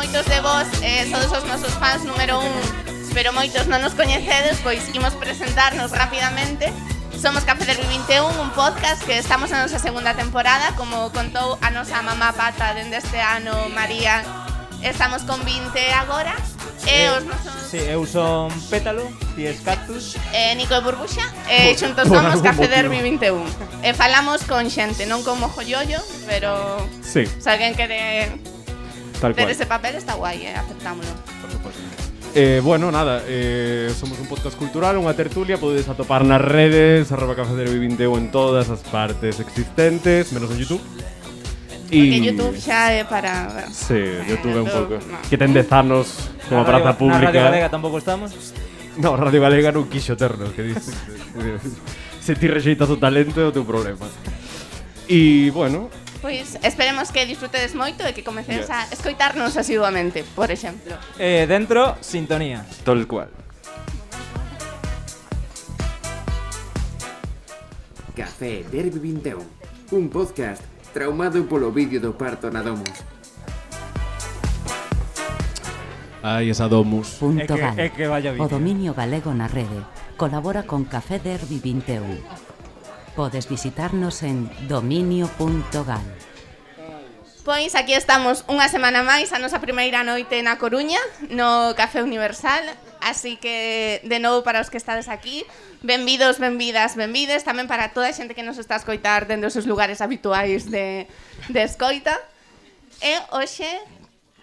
moitos de vos sodes os nosos fans número 1, pero moitos non nos coñecedes, pois imos presentarnos rapidamente. Somos Café Derby 21, un podcast que estamos na nosa segunda temporada, como contou a nosa mamá pata dende este ano, María. Estamos con 20 agora. Os nosos... Sí, eu son Pétalo, ti es Cactus. Nico e Burbuxa. Xuntos somos Café Derby 21. Falamos con xente, non con mojoyoyo, pero Sí, se alguén quere tal ter cual. ese papel está guai, aceptámoslo. Por suposto. Bueno, nada, somos un podcast cultural, unha tertulia, podedes atopar nas redes, @cafederby21 en todas as partes existentes, menos en YouTube. Porque YouTube xa é para... Sí, YouTube é un pouco. no. Que ten 10 anos como Na praza Radio pública. Galega tampouco estamos. No, Radio Galega non quixo ternos, que dices. Se ti rexeitas o talento é o teu problema. E, bueno, Pois esperemos que disfrutedes moito e que comecedes a escoitarnos asiduamente, por exemplo. Dentro, sintonía. tal cual. Café Derby 21, un podcast traumado polo vídeo do parto na Domus. Ai, esa Domus. Punto gal. É que vaya O vídeo. dominio galego na rede. Colabora con Café Derby 21. Podes visitarnos en dominio.gal. Pois aquí estamos unha semana máis, a nosa primeira noite na Coruña, no Café Universal. Así que, de novo, para os que estades aquí, benvidos, benvidas, benvides. Tamén para toda a xente que nos está a escoitar dentro dos seus lugares habituais de escoita. E hoxe,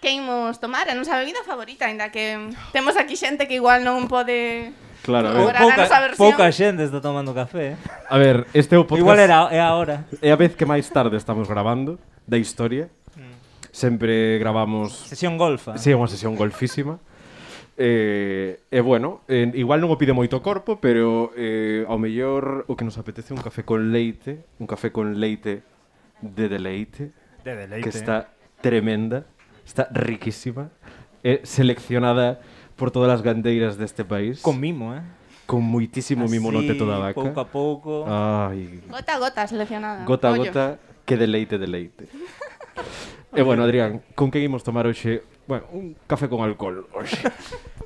que imos tomar? A nosa bebida favorita, ainda que temos aquí xente que igual non pode... Claro, a ver. Agora, a nosa versión. Pouca xente está tomando café. A ver, este é o podcast. Igual é ahora. É a vez que máis tarde estamos grabando da historia. Sempre gravamos... Sesión golfa. Sí, é unha sesión golfísima. Bueno, igual non o pide moito corpo, pero ao mellor o que nos apetece é un café con leite de deleite, De deleite. que está tremenda, está riquísima, é seleccionada por todas as gandeiras deste país, Con mimo, con moitísimo mimo no teto da vaca. Pouco a pouco. Ai, Gota a gota seleccionada. gota a Ollo. gota, que deleite. E bueno, Adrián, con que imos tomar hoxe? Bueno, un café con alcohol hoxe.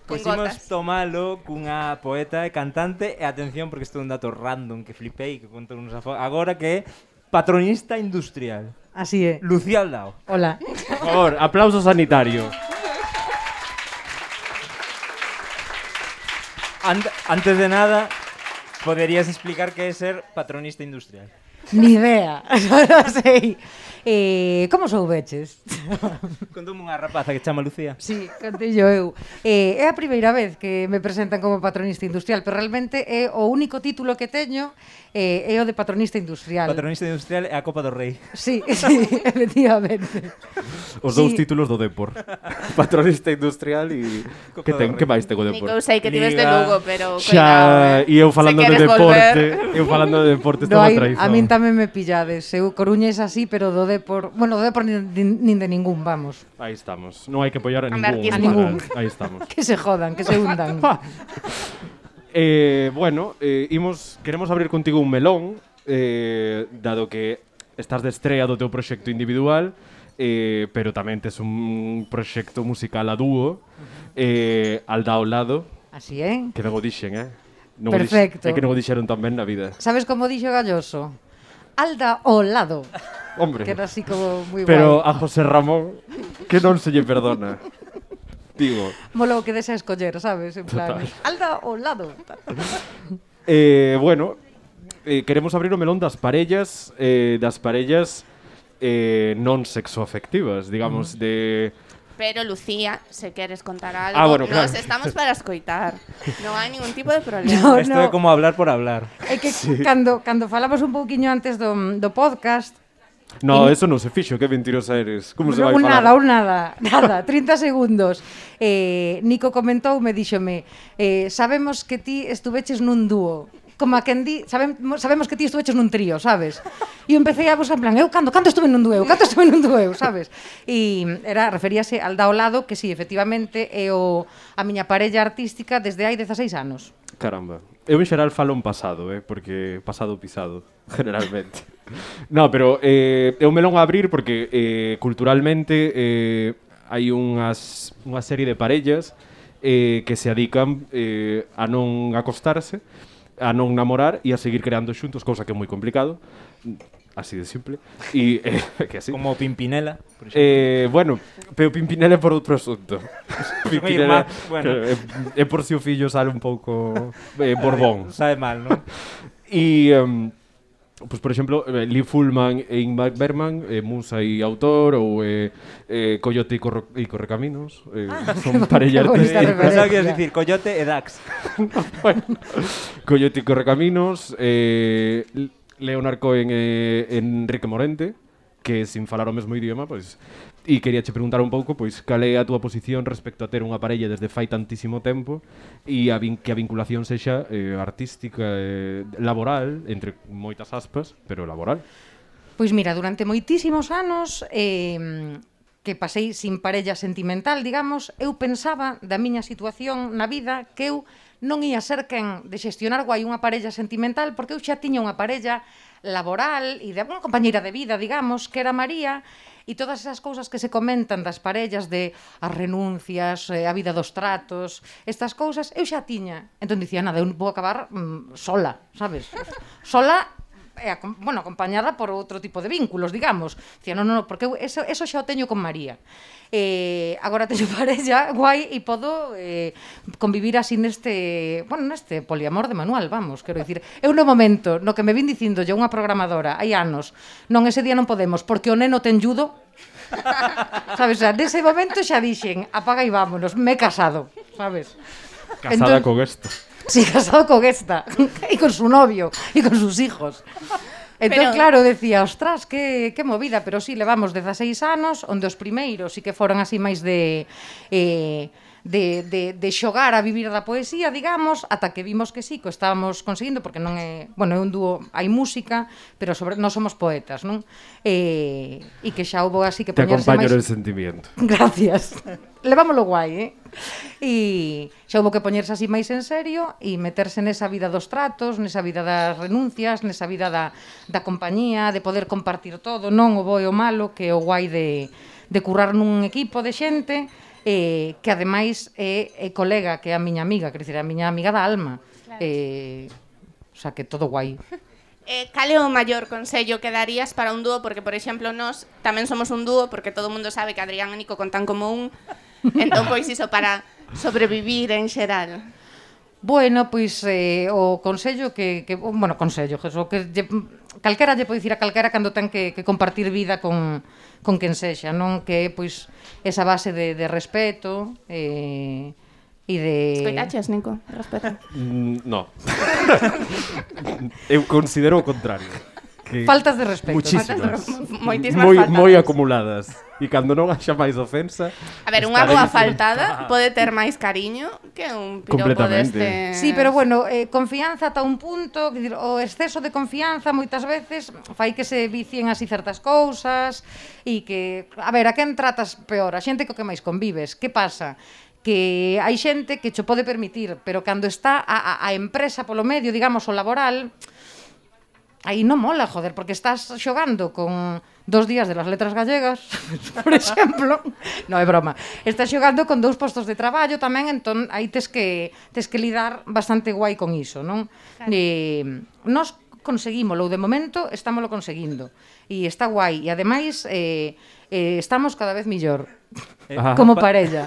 Con Pois imos gotas. tomalo cunha poeta e cantante. E atención, porque isto é un dato random que flipei, que conto agora, que é patronista industrial. Así é. Lucía Aldao. Hola. Por favor, aplauso sanitario. Antes de nada, poderías explicar que é ser patronista industrial. Ni idea. Non sei. Como soubeches? Contoume unha rapaza que chama Lucía. Sí, contillo eu. É a primeira vez que me presentan como patronista industrial, pero realmente é o único título que teño é o de patronista industrial. Patronista industrial é a Copa do Rei. Sí, efectivamente. Os dous Sí. títulos do Depor. Patronista industrial e que ten, que máis ten o Nico, Depor? eu sei que ti ves de Liga. Lugo, pero Xa, e eu falando de Se queres deporte, volver. eu falando de deporte No, estaba aí, traición. a min tamén me pillades. Eu Coruña é así, pero do Depor... Bueno, do Depor nin de ningún, vamos. Aí estamos. Non hai que apoiar a ningún. Anarquismo. A ningún. Aí estamos. Que se jodan, que se hundan. Bueno, queremos abrir contigo un melón, dado que estás de estrea do teu proxecto individual, pero tamén tes un proxecto musical a dúo, Alda ao lado, Así é. que non o dixen, Non Perfecto. É que non o dixeron tan ben na vida. Sabes como dixo Galloso? Alda ao lado. Hombre, Que era así como moi pero guai. a José Ramón, que non se lle perdona. Digo, Molo que des a escoller, sabes? En plan, Total. Alda ao lado. bueno, queremos abrir o melón das parellas, non sexoafectivas, digamos, de... Pero, Lucía, se queres contar algo, bueno, claro. nos estamos para escoitar. Non hai ningún tipo de problema. No, Isto é como hablar por hablar. É que cando falamos un pouquiño antes do podcast, No, eso non se fixo, que mentirosa eres. Como se vai un falar? nada, 30 segundos. Nico comentoume, díxome, sabemos que ti estuveches nun dúo. Como a quen di, sabemos que ti estuveches nun trío, sabes? E eu empecé a buscar en plan, eu cando estuve nun dúo, sabes? E referíase al ao lado, que sí, efectivamente, é a miña parella artística desde hai 16 anos. Caramba. Eu en xeral falo en pasado, porque pasado pisado, generalmente. No, pero é un melón a abrir porque culturalmente hai unha serie de parellas que se adican a non acostarse, a non namorar e a seguir creando xuntos, cousa que é moi complicado, así de simple. E que así. Como Pimpinela, por exemplo. Bueno, pero Pimpinela é por outro asunto. Pimpinela Bueno. é por si o fillo sale un pouco borbón. Sabe mal, non? E pues, por exemplo, Lee Fullman e Ingmar Bergman, musa e autor, ou Coyote e Correcaminos, son parella bonita artística. referencia. Pensaba que ibas dicir Coyote e Dax. Bueno, Coyote e Correcaminos, Leonard Cohen e Enrique Morente, que sin falar o mesmo idioma, pois, e quería che preguntar un pouco, pois, cal é a túa posición respecto a ter unha parella desde fai tantísimo tempo e que a vinculación sexa artística, laboral, entre moitas aspas, pero laboral. Pois mira, durante moitísimos anos que pasei sin parella sentimental, digamos, eu pensaba da miña situación na vida que eu non ia ser quen de xestionar guai unha parella sentimental porque eu xa tiña unha parella laboral e de unha compañeira de vida, digamos, que era María, e todas esas cousas que se comentan das parellas de as renuncias, a vida dos tratos, estas cousas, eu xa tiña. Entón dicía, nada, eu vou acabar sola, sabes? Sola, bueno, acompañada por outro tipo de vínculos, digamos. Dicía, non, porque eu eso xa o teño con María. Agora teño parella guai e podo convivir así neste poliamor de manual, vamos, quero dicir. Eu no momento no que me vin dicindo unha programadora hai anos, non, ese día non podemos porque o neno ten judo. Sabes, nese momento xa dixen, apaga e vámonos, me he casado, sabes? Casada con esto. Sí, casado con esta e con su novio e con sus hijos. Entón, claro, decía, ostras, que movida, pero sí, levamos 16 anos, onde os primeiros sí que foron así máis de xogar a vivir da poesía, digamos, ata que vimos que sí, que estábamos conseguindo, porque non é, bueno, é un dúo, hai música, pero non somos poetas, non? E que xa houbo así que poñerse máis... Te acompaño en el sentimiento. Gracias. Levámoslo guai, E xa houbo que poñerse así máis en serio e meterse nesa vida dos tratos, nesa vida das renuncias, nesa vida da compañía, de poder compartir todo, non o bo e o malo, que é o guai de currar nun equipo de xente, que ademais é colega, que é a miña amiga, quer dizer, a miña amiga da alma. Claro. O sea, que todo guai. Cal é o maior consello que darías para un dúo? Porque, por exemplo, nós tamén somos un dúo, porque todo o mundo sabe que Adrián e Nico contan como un. Entón, pois iso para sobrevivir en xeral. Bueno, pois o consello bueno, consello, o que calquera lle pode dicir a calquera cando ten que compartir vida con quen sexa, non? Que é, pois, esa base de respeto e de... Escoitaches, Nico? Respeto. No. Eu considero o contrario. Faltas de respeto. Muchísimas. Moitísimas faltas. Moi acumuladas. E cando non haxa máis ofensa... A ver, unha boa faltada pode ter máis cariño que un piropo deste... Sí, pero bueno, confianza ata un punto, que o exceso de confianza moitas veces fai que se vicien así certas cousas e que, a ver, a quen tratas peor? A xente co que máis convives. Que pasa? Que hai xente que cho pode permitir, pero cando está a empresa polo medio, digamos, o laboral... Aí non mola, joder, porque estás xogando con 2 días de las letras gallegas, por exemplo. Non, é broma. Estás xogando con 2 postos de traballo tamén, entón aí tes que lidar bastante guai con iso, non? Claro. Nós conseguímolo, de momento estámoslo conseguindo. E está guai. E ademais estamos cada vez millor. Como parella.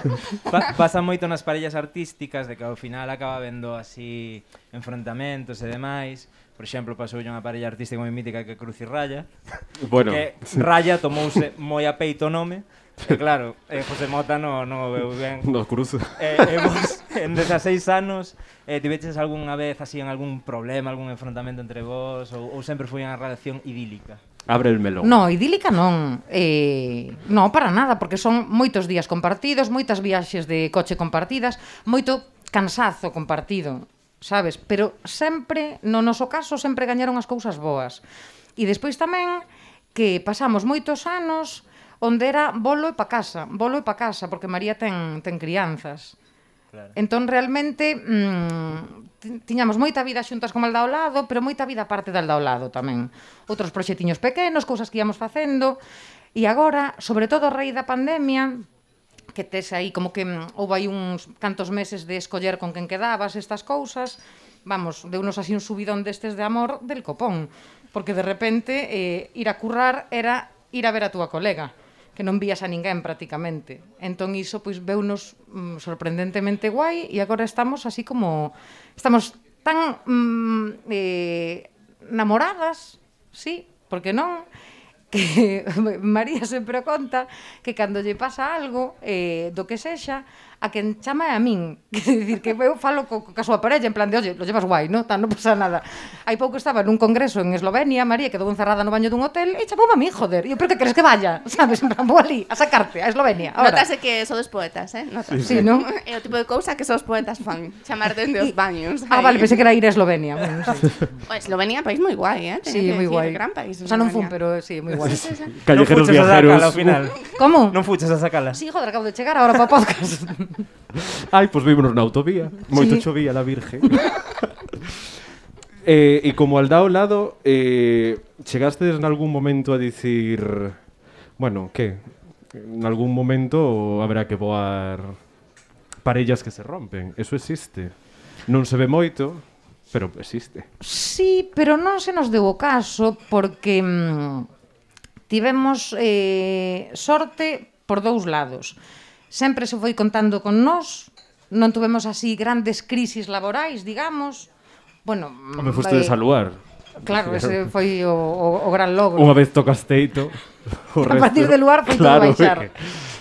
Pasa moito nas parellas artísticas de que ao final acaba vendo así enfrontamentos e demais. Por exemplo, pasou unha parella artística moi mítica que é Cruz e Raya. Bueno. Que Raya tomouse moi a peito o nome. E claro, José Mota non o veu ben. No cruzo. Vos, en 16 anos, tiveches algunha vez así en algún problema, algún enfrontamento entre vos? Ou sempre foi unha relación idílica? Abre el melón. No, idílica non. Non, para nada, porque son moitos días compartidos, moitas viaxes de coche compartidas, moito cansazo compartido, sabes? Pero sempre, no noso caso, sempre gañaron as cousas boas. E despois tamén que pasamos moitos anos onde era bolo e pa casa, porque María ten crianzas. Claro. Entón, realmente, tiñamos moita vida xuntas con Alda ao lado, pero moita vida aparte de Alda ao lado tamén. Outros proxetiños pequenos, cousas que íamos facendo. E agora, sobre todo a raíz da pandemia, que tes aí como que houve aí uns cantos meses de escoller con quen quedabas, estas cousas, vamos, deunos así un subidón destes de amor del copón, porque de repente ir a currar era ir a ver a túa colega, que non vías a ninguén prácticamente. Entón iso pois veunos sorprendentemente guai e agora estamos así como estamos tan namoradas, sí, porque non, que María sempre conta que cando lle pasa algo do que sexa, a quen chama é a min. Quer dicir, que eu falo ca súa parella en plan de, oye, lo llevas guai, non? Non pasa nada. Hai pouco estaba nun congreso en Eslovenia, María quedou encerrada no baño dun hotel e chamou a min, joder. E eu, pero que queres que vaya? Sabes? En plan, vou ali a sacarte a Eslovenia. Ahora. Notase que sodes poetas, Notase. Sí, non? É o tipo de cousa que os poetas fan, chamar dende os baños. Vale, pensei que era ir a Eslovenia. Bueno, sí. Eslovenia, país moi guai, Sí, moi guai. Gran país. O sea, non fun, pero sí, moi guai. Callejeros non fuches a viajeros. sacala ao final. Como? Non fuches a sacala. Sí, joder, acabo de chegar agora para o podcast. Ai, pois vímonos na autovía. Moito Sí. chovía la Virgen. E como al dao lado, chegastes en algún momento a dicir... Bueno, que? En algún momento haberá que voar parellas que se rompen. Eso existe. Non se ve moito, pero existe. Sí, pero non se nos deu o caso porque tivemos sorte por dous lados. Sempre se foi contando con nós, non tuvemos así grandes crisis laborais, digamos. Bueno, Me fuste de saluar. Claro, ese foi o gran logro. Unha vez tocas teito, o A partir de luar foi todo baixar.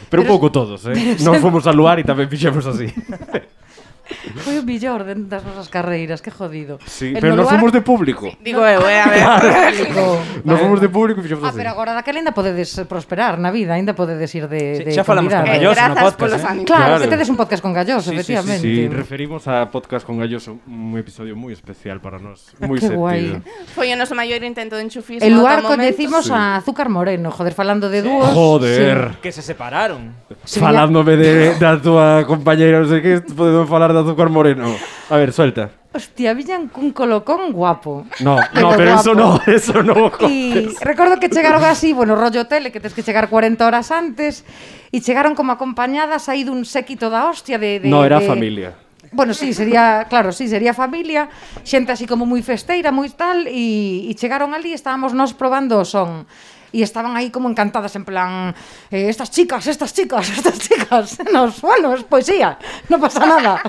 Pero un pouco todos, Non fomos a luar e tamén fixemos así. Foi o millor das nosas carreiras, que jodido. Sí, El pero no nos luar- fomos de público. Digo eu, a ver. Nos fomos de público e fixemos así. Pero agora daquela ainda podedes prosperar na vida, ainda podedes ir de Xa falamos con convidada. Galloso no Grazas podcast, polos ánimos. Claro, Claro. que tedes un podcast con Galloso, efectivamente. Sí, referimos a Podcast con Galloso, un episodio moi especial para nós, moi Qué sentido. guai. Foi o noso maior intento de enchufismo. El lugar ata o momento. coñecimos a Azúcar Moreno, joder, falando de dúos. Joder. Que se separaron. Sí. Falándome da túa compañeira, non sei que, podemos falar de Azúcar Moreno. A ver, suelta. Hostia, viñan cun colocón guapo. No, Pero pero guapo. eso no. E recordo que chegaron así, bueno, rollo tele, que tens que chegar 40 horas antes, e chegaron como acompañadas aí dun séquito da hostia de No, era familia. Bueno, sí, sería, claro, sí, sería familia, xente así como moi festeira, moi tal, e chegaron ali, estábamos nós probando o son. E estaban aí como encantadas, en plan, estas chicas, nos, bueno, es poesía, non pasa nada.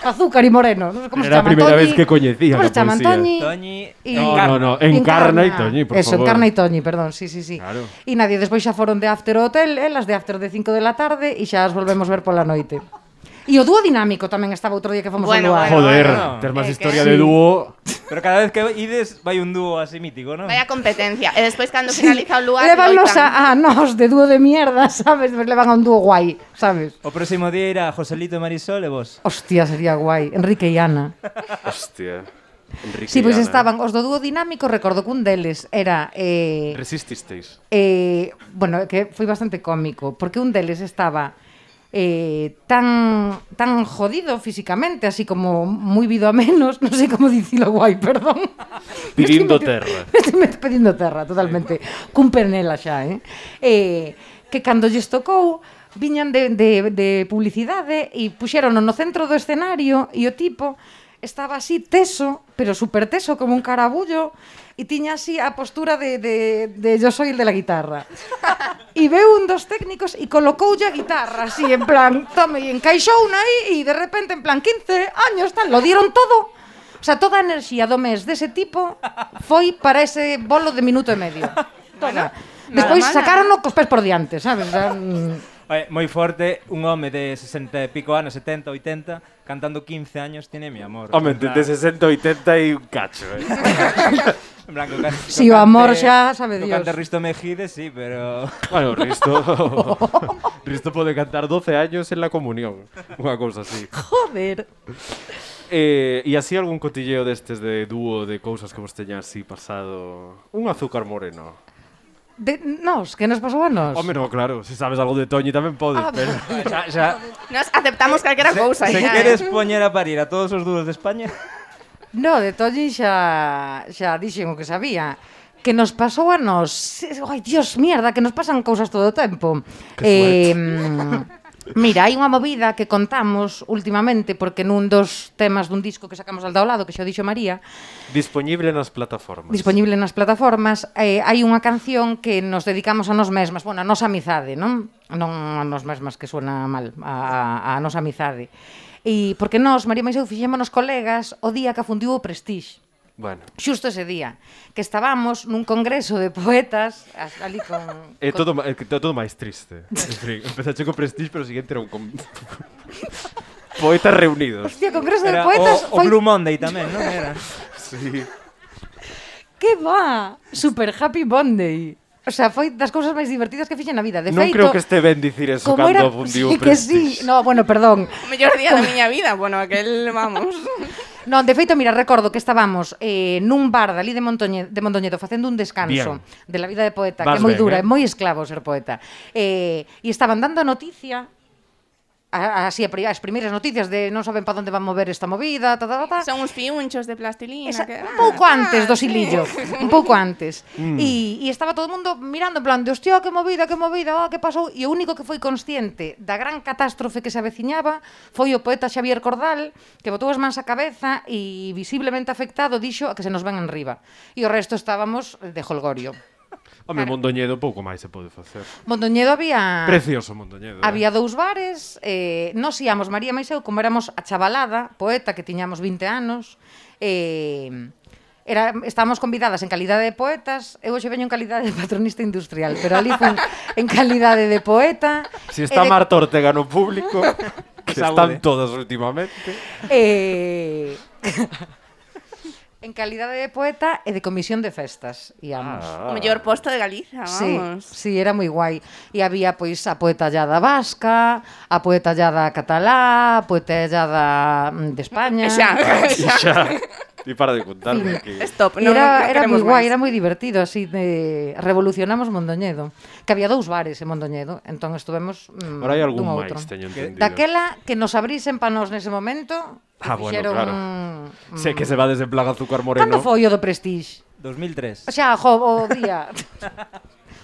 Azúcar y Moreno, non sei como Era se a chaman, primeira Toñi. vez que coñecían Como a se chaman, poesía. Toñi? Toñi, Y- No, Encarna y Toñi, por Eso, favor. Encarna y Toñi, perdón, sí. Claro. E nadie, despois xa foron de after ao hotel, elas de after de 5 de la tarde, e xa as volvemos ver pola noite. E o dúo dinámico tamén estaba outro día que fomos Bueno, ao lugar. Joder, Bueno, ter máis que historia sí. de dúo. Pero cada vez que ides vai un dúo así mítico, non? Vaya competencia. E despois, cando finaliza o lugar, Levannos loitan. a nos de dúo de mierda, sabes? Pues levan a un dúo guai, sabes? O próximo día irá Joselito e Marisol e vos. Hostia, sería guai. Enrique e Ana. Hostia. Enrique Sí, pois y Ana. estaban os do dúo dinámico, recordo que un deles era Resististeis. bueno, que foi bastante cómico, porque un deles estaba tan jodido físicamente, así como moi vido a menos, non sei como dicilo guai, perdón. Pidindo terra. Me estoy pedindo terra, totalmente. Cun penela xa, que cando lles tocou, viñan de publicidade e puxeron no centro do escenario e o tipo estaba así teso, pero super teso, como un carabullo, e tiña así a postura de yo soy el de la guitarra. E veu un dos técnicos e colocoulle a guitarra así, en plan, tome, e encaixouna aí, e de repente, en plan, 15 años, tal, lo dieron todo. O sea, toda a enerxía do mes dese tipo foi para ese bolo de minuto e medio. Toda. Despois mal, sacaron cos pés por diante, sabes? O sea, Oye, moi forte, un home de 60 e pico anos, 70, 80, cantando 15 años, tiene mi amor. Home, En plan- de 60 80 e un cacho, En plan, co can- Si co o amor cante- xa sabe co Dios. cante Risto Mejide, sí, pero... Bueno, Risto pode cantar 12 años en la comunión. Unha cousa así. joder. E así algún cotilleo destes de dúo de cousas que vos teña así pasado. Un Azúcar Moreno. Que nos pasou a nos? Home, no, claro, se sabes algo de Toñi tamén podes, pero... xa, Nos aceptamos calquera cousa. se xa, queres poñer a parir a todos os dúos de España... No, de Toñi xa dixen o que sabía. Que nos pasou a nos... Ai, Dios, mierda, que nos pasan cousas todo o tempo. Mira, hai unha movida que contamos últimamente, porque nun dos temas dun disco que sacamos ao lado, que xa o dixo María, Disponible nas plataformas. disponible nas plataformas, hai unha canción que nos dedicamos a nós mesmas, bueno, a nosa amizade, non? Non a nós mesmas, que suena mal, a nosa amizade. E porque nós, María Maiseu, fixémonos colegas o día que afundiu o Prestige. Bueno. Xusto ese día, que estábamos nun congreso de poetas, ali con... É todo máis triste. En fin, empezache co Prestige, pero o siguiente era un... Poetas reunidos. Hostia, congreso de Era poetas o Blue Monday tamén, non era? Sí. Que va? Super Happy Monday. O sea, foi das cousas máis divertidas que fixen na vida. De Non feito, creo que este ben dicir eso como cando era... fundiu Sí, o que sí. Prestige. No, bueno, perdón. O mellor día da miña vida, bueno, aquel, vamos. Non, de feito, mira, recordo que estábamos nun bar dali de Mondoñedo facendo un descanso de la vida de poeta, Vas que é moi ben, dura, é eh? moi esclavo ser poeta. E estaban dando a noticia, así as primeiras noticias de non saben para onde van mover esta movida, Son uns fiunchos de plastilina. Un pouco antes do silillo, un pouco antes. E estaba todo o mundo mirando en plan de, hostia, que movida, que pasou? E o único que foi consciente da gran catástrofe que se aveciñaba foi o poeta Xavier Cordal, que botou as mans á cabeza e visiblemente afectado dixo a que se nos ven enriba. E o resto estábamos de holgorio. Home, Mondoñedo pouco máis se pode facer. Mondoñedo había... Precioso Mondoñedo. Había dous bares, nos íamos, María Maiseu, como éramos a chavalada, poeta, que tiñamos 20 anos, estábamos convidadas en calidade de poetas, eu hoxe veño en calidade de patronista industrial, pero ali fui en calidade de poeta. Si está Marta Ortega no público, que Saúde. están todas últimamente. En calidade de poeta e de comisión de festas, íamos. O mellor posto de Galicia, Sí, vamos. sí, era moi guai. E había, pois, a poeta llada vasca, a poeta llada catalá, a poeta llada de España. Xa. E para de contarme que... Stop, E non era queremos moi guai, máis. era moi divertido, así de revolucionamos Mondoñedo. Que había dous bares en Mondoñedo, entón estuvemos Ahora hai algún dun máis, outro. teño entendido. Daquela que nos abrisen pa nós nese momento, Bueno, fixeron... claro. Sé que se va desde Plaga Azúcar Moreno. Cando foi o do Prestige? 2003. O sea, o día...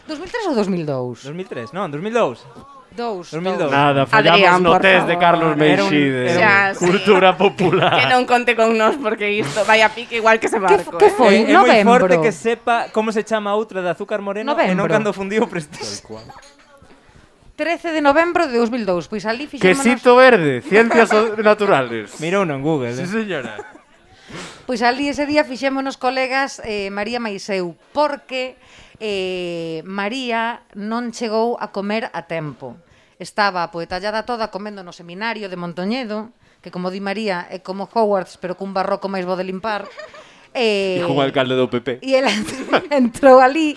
2003 ou 2002? 2003, non, 2002. 2002. Nada, fallamos Adrián, no por test de favor. Carlos Era un- Meixide. era un- Cultura popular. Que non conte con nós porque isto vai a pique igual que ese barco. Que foi? É moi Novembro. forte que sepa como se chama a outra de Azúcar Moreno e non Novembro. cando fundiu o Prestige. 13 de novembro de 2002, pois ali fixémonos... Quesito verde, ciencias naturales. Mira uno en Google. Sí, señora. Pois ali ese día fixémonos colegas María Maiseu, porque María non chegou a comer a tempo. Estaba a poetallada toda comendo no seminario de Mondoñedo, que como di María é como Hogwarts, pero cun barroco máis bo de limpar. E con alcalde do PP. E ela entrou ali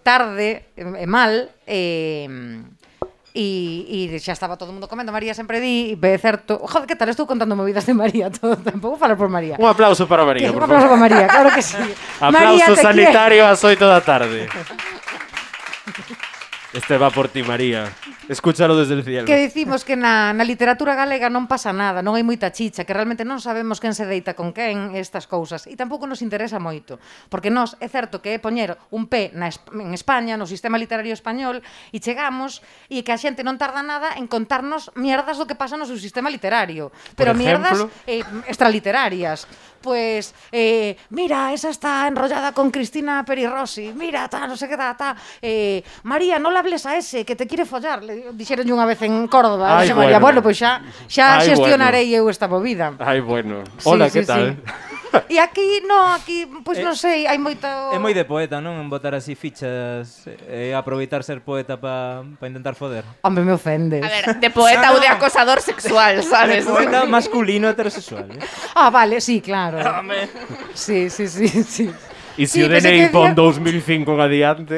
tarde e mal e xa estaba todo o mundo comendo. María sempre di, é certo, joder, que tal, estou contando movidas de María todo o tempo. Vou falar por María. Un aplauso para María, Un por aplauso favor. para María, claro que sí. Aplauso María, te sanitario ás 8 da tarde. Este va por ti, María. Escúchalo desde el cielo. Que dicimos que na literatura galega non pasa nada, non hai moita chicha, que realmente non sabemos quen se deita con quen, estas cousas, e tampouco nos interesa moito, porque nós é certo que é poñer un pé en España, no sistema literario español, e chegamos e que a xente non tarda nada en contarnos mierdas do que pasa no seu sistema literario, pero mierdas extraliterarias. Pues, mira, esa está enrollada con Cristina Perirossi, mira, ta, no sé qué, ta. María, no le hables a ese, que te quiere follar, le dixeron unha vez en Córdoba. Ay, María, bueno. pois xa Ay, xestionarei eu esta movida. Ay, bueno. Sí, Hola, sí, ¿qué tal? E aquí, pois non sei, hai moito... É moi de poeta, non? En botar así fichas e aproveitar ser poeta para intentar foder. Hombre, me ofendes. A ver, de poeta ou de acosador sexual, sabes? Poeta masculino heterosexual. Ah, vale, sí, claro. Sí. Y si Sí, o pensé DNI que pon decía- 2005 en adiante...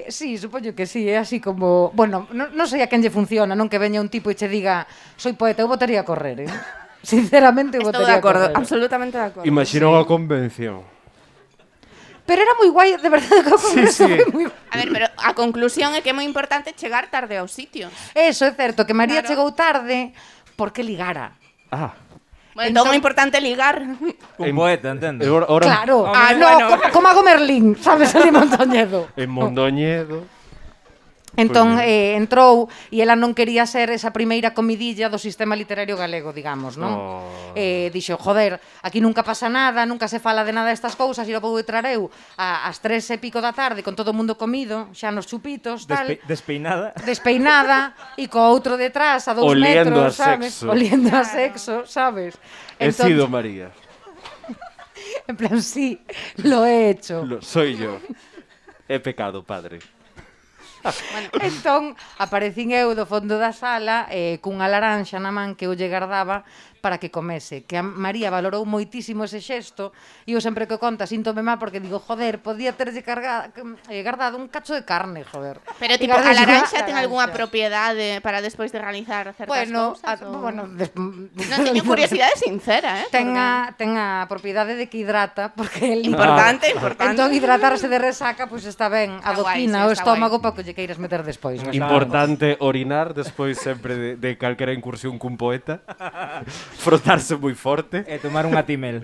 Sí, supoño que sí, é así como... Bueno, non sei a quen lle funciona, non que veña un tipo e che diga soy poeta, eu votaría a correr, Sinceramente, eu Estou de votaría a acordo, correr. absolutamente de acordo. Imaginou a convención. Pero era moi guai, de verdade, que o congreso sí. foi moi... A ver, pero a conclusión é que é moi importante chegar tarde aos sitios. Eso, é certo, que María Claro. chegou tarde porque ligara. Ah. Bueno, entón é importante ligar. Un poeta, entendo. Ahora Claro, Ah, no, bueno. como hago Merlín, sabes, ali en Mondoñedo. en Mondoñedo... Entón entrou e ela non quería ser esa primeira comidilla do sistema literario galego, digamos, non? Dixo, joder, aquí nunca pasa nada, nunca se fala de nada destas cousas, e lo vou entrar eu ás 3:00 da tarde con todo o mundo comido, xa nos chupitos, tal. Despeinada. E co outro detrás a 2 Oliendo metros, a sabes? sexo. Oliendo a sexo, sabes? He sido María. En plan, sí, lo he hecho. Soy yo. He pecado, padre. Entón, aparecín eu do fondo da sala cunha laranxa na man que eu lle gardaba para que comese, que a María valorou moitísimo ese xesto, e eu sempre que o conta síntome mal porque digo, joder, podía terlle guardado un cacho de carne, joder. Pero tipo, a laranxa ten algunha propiedade para despois de realizar certas cousas? Bueno, Non, teño curiosidade sincera, ten a propiedade de que hidrata, porque el Importante. Entón hidratarse de resaca, pois está ben, adoquina o está estómago para que lle queiras meter despois. Importante orinar despois sempre de calquera incursión cun poeta. Frotarse moi forte. E tomar unha timel.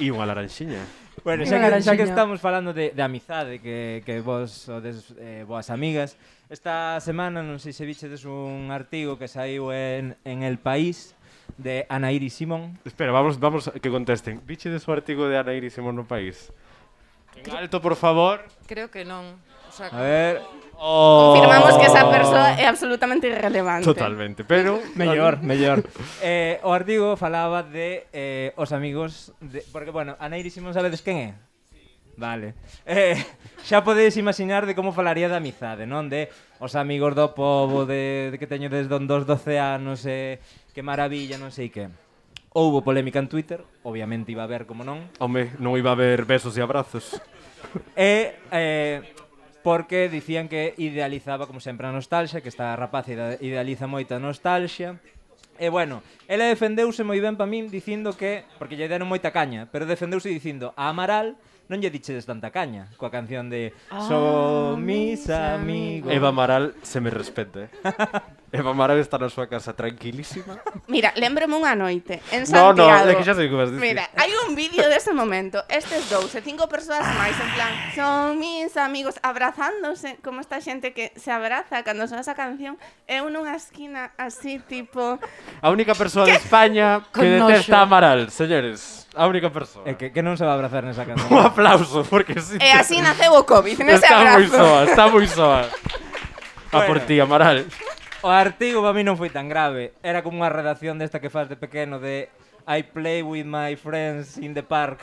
E unha laranxiña. Bueno, xa que estamos falando de amizade, que vos sodes boas amigas, esta semana non sei se vichedes un artigo que saiu en El País de Ana Iris Simón. Espera, vamos que contesten. Vichedes o artigo de Ana Iris Simón no País? En alto, por favor. Creo que non. O sea, A ver... Confirmamos que esa persoa é absolutamente irrelevante. Totalmente, pero... Mellor. O artigo falaba de os amigos... Porque, bueno, Ana Iris Simón sabedes quen é? Vale. Xa podedes imaginar de como falaría de amizade, non? De os amigos do pobo, de que teño desde os 12 anos, que maravilla, non sei que. Houbo polémica en Twitter, obviamente iba a haber, como non. Home, non iba a haber besos e abrazos. Porque dicían que idealizaba, como sempre, a nostalgia, que esta rapaz idealiza moita nostalgia. E, bueno, ela defendeuse moi ben pa min dicindo que, porque lle deron moita caña, pero defendeuse dicindo a Amaral non lle dichedes tanta caña, coa canción de Son mis amigos. Eva Amaral se me respete. Eva Amaral está na súa casa tranquilísima. Mira, lembrome unha noite en No, Santiago. é que xa sei que vas dicir. Mira, hai un vídeo dese momento, estes 5 persoas máis, en plan, son mis amigos abrazándose, como esta xente que se abraza cando soa esa canción, eu nunha esquina así, tipo... A única persoa de España que Con detesta a noxo. Amaral, señores. A única persoa. Que non se va a abrazar nesa canción. Un aplauso, porque sí. E así naceu o COVID, nese Está moi abrazo. soa, está moi soa. A por ti, Amaral. O artigo para mí non foi tan grave. Era como unha redacción desta que faz de pequeno de I play with my friends in the park.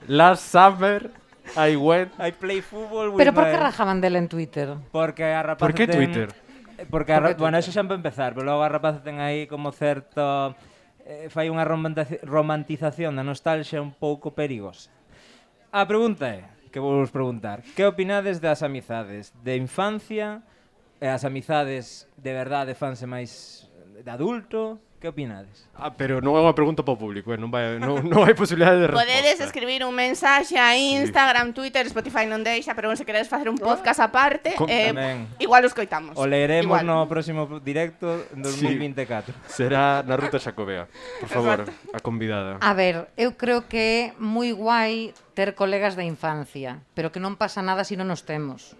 Last summer, I went... I play football with Pero por que my... rajaban dela en Twitter? Porque a rapaza Por que ten... Twitter? Porque bueno, eso xa para empezar, pero logo a rapaza ten aí como certo... fai unha romantización da nostalgia un pouco perigosa. A pregunta é, que vou vos preguntar, que opinades das amizades de infancia e as amizades de verdade fanse máis de adulto? Que opinades? Pero non é unha pregunta para o público, non hai posibilidade de resposta. Podedes escribir un mensaxe a Instagram, Twitter, Spotify non deixa, pero se queredes facer un podcast aparte, Tamén. igual os coitamos. O leeremos Igual. no próximo directo en 2024. Será na Ruta Xacobea. Por favor, a convidada. A ver, eu creo que é moi guai ter colegas da infancia, pero que non pasa nada se non nos temos.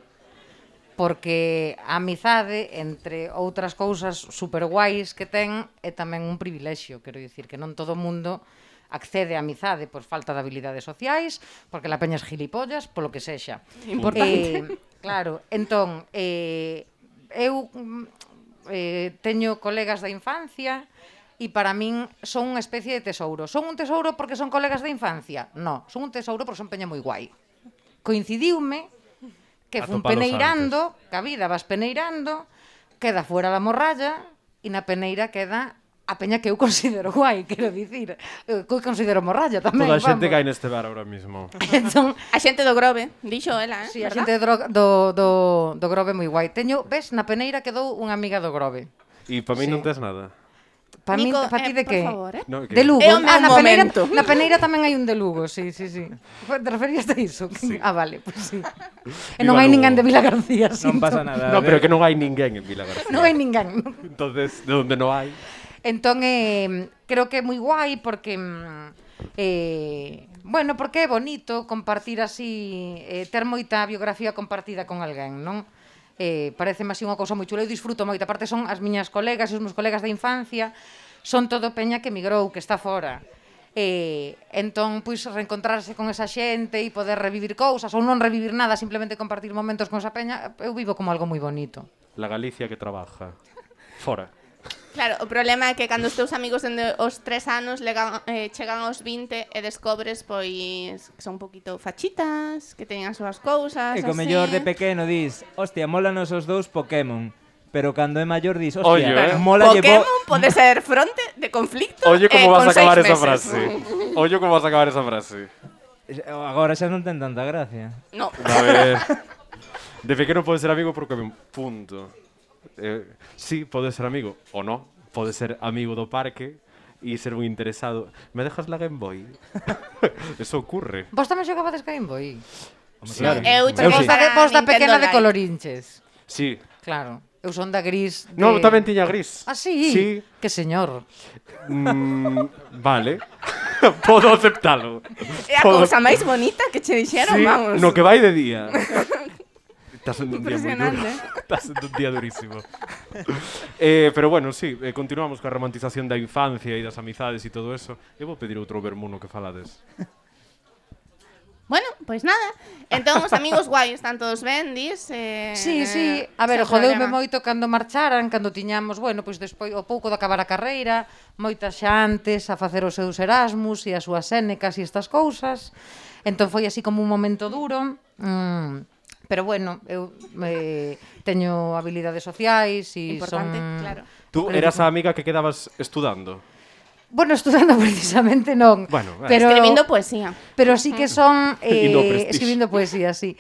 Porque a amizade, entre outras cousas super guais que ten, é tamén un privilexio, quero dicir, que non todo o mundo accede á amizade por falta de habilidades sociais, porque la peña es gilipollas, polo que sexa. Importante. Claro, entón, eu teño colegas da infancia e para min son unha especie de tesouro. Son un tesouro porque son colegas da infancia? No, son un tesouro porque son peña moi guai. Coincidiume que fun Atopalos peneirando, que a vida vas peneirando, queda fuera da morralla e na peneira queda a peña que eu considero guai, quero dicir. Eu considero morralla tamén, Toda a xente vamos. cae neste bar ahora mismo. Entón, A xente do Grove, dixo ela, sí, a verdad? xente do Grove moi guai. Teño, ves, na peneira quedou unha amiga do Grove. E para mí Sí. non tes nada. Pa min, Nico, pa ti de por que? favor, No, que... De Lugo. É o meu momento. Na peneira tamén hai un de Lugo, sí. Te referías a iso? Sí. Ah, vale, pues sí. E Viva non hai Lugo. ninguén de Vila García, Non sinto. pasa nada. No, pero que non hai ninguén en Vila García. Non hai ninguén. Entonces, de onde non hai... Entón, creo que é moi guai porque bueno, porque é bonito compartir así, ter moita biografía compartida con alguén, non? Parece así unha cousa moi chula, eu disfruto moito. Aparte son as miñas colegas e os meus colegas da infancia, son todo peña que emigrou, que está fora. Entón, pois, reencontrarse con esa xente e poder revivir cousas, ou non revivir nada, simplemente compartir momentos con esa peña, eu vivo como algo moi bonito. La Galicia que trabaja fora. Claro, o problema é que cando os teus amigos dende os 3 anos chegan aos 20 e descobres, pois, que son un poquito fachitas, que teñen as súas cousas, E co así. mellor de pequeno dis, hostia, molanos os dous Pokémon. Pero cando é maior dis, Oye, hostia, mola Pokémon pode ser fronte de conflicto. Oye, como vas a con acabar 6 esa meses. frase. Oye, como vas a acabar esa frase. Agora xa non ten tanta gracia. No. A ver. De pequeno pode ser amigo porque punto. Sí, pode ser amigo ou no. Pode ser amigo do parque e ser un interesado. Me dejas la Game Boy? Eso ocurre. Vos tamén xogabades Game Boy? Sí, Claro. eu Pero cheguei vos da para pequena Nintendo de Live. colorinches. Sí. Claro. Eu son da gris de... No, tamén tiña gris. Ah, sí? Sí. Que señor. Vale. Podo aceptalo. É a cousa máis bonita que che dixeron, Sí, vamos. no que vai de día. Está sendo un día moi duro. Impresionante. Está sendo un día durísimo. Pero bueno, sí, continuamos coa romantización da infancia e das amizades e todo eso. Eu vou pedir outro vermuno que falades. Bueno, pois nada. Entón, os amigos guai están todos ben, dis? Sí, sí. A ver, sen jodeume problema. moito cando marcharan, cando tiñamos, bueno, pois despois, o pouco de acabar a carreira, moitas xa antes a facer os seus Erasmus e as súas Sénecas e estas cousas. Entón foi así como un momento duro. Pero bueno, eu teño habilidades sociais e Importante, son... claro. Tú eras a amiga que quedabas estudando. Bueno, estudando precisamente non. Bueno, pero Escribindo poesía. Pero sí que son Indo ao Prestige. escribindo poesía, sí.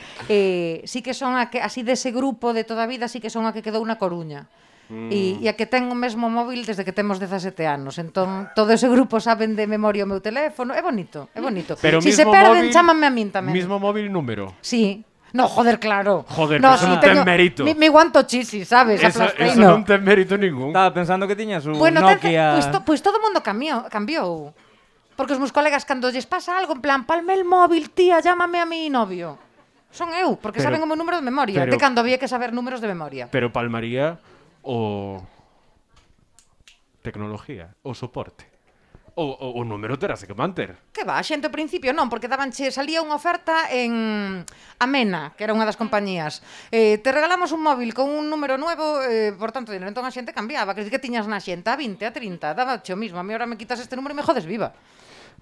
Sí que son a que así dese grupo de toda a vida, sí que son a que quedou na Coruña. E a que ten o mesmo móvil desde que temos 17 anos. Entón, todo ese grupo saben de memoria o meu teléfono. É bonito, é bonito. Pero Si se mismo perden, móvil- chámanme a min tamén. Mismo móvil número. Sí. No, joder, claro. Joder, no, pero eso non ten mérito. Mi guanto chisi, sabes? Eso Aplasteino. non ten mérito ningún. Estaba pensando que tiñas un Bueno, Nokia... pues todo o mundo cambiou. Porque os meus colegas cando lles pasa algo, en plan, palme el móvil, tía, llámame a mi novio. Son eu, porque Pero- saben o meu número de memoria. pero- De cando había que saber números de memoria. Pero palmaría o tecnología, o soporte. O número terase que manter. Que va, a xente ao principio non, porque salía unha oferta en Amena, que era unha das compañías. Te regalamos un móvil con un número nuevo, por tanto, dinero. Entón a xente cambiaba, que tiñas na xente a 20, a 30, daba o mismo. A mí ahora me quitas este número e me jodes viva.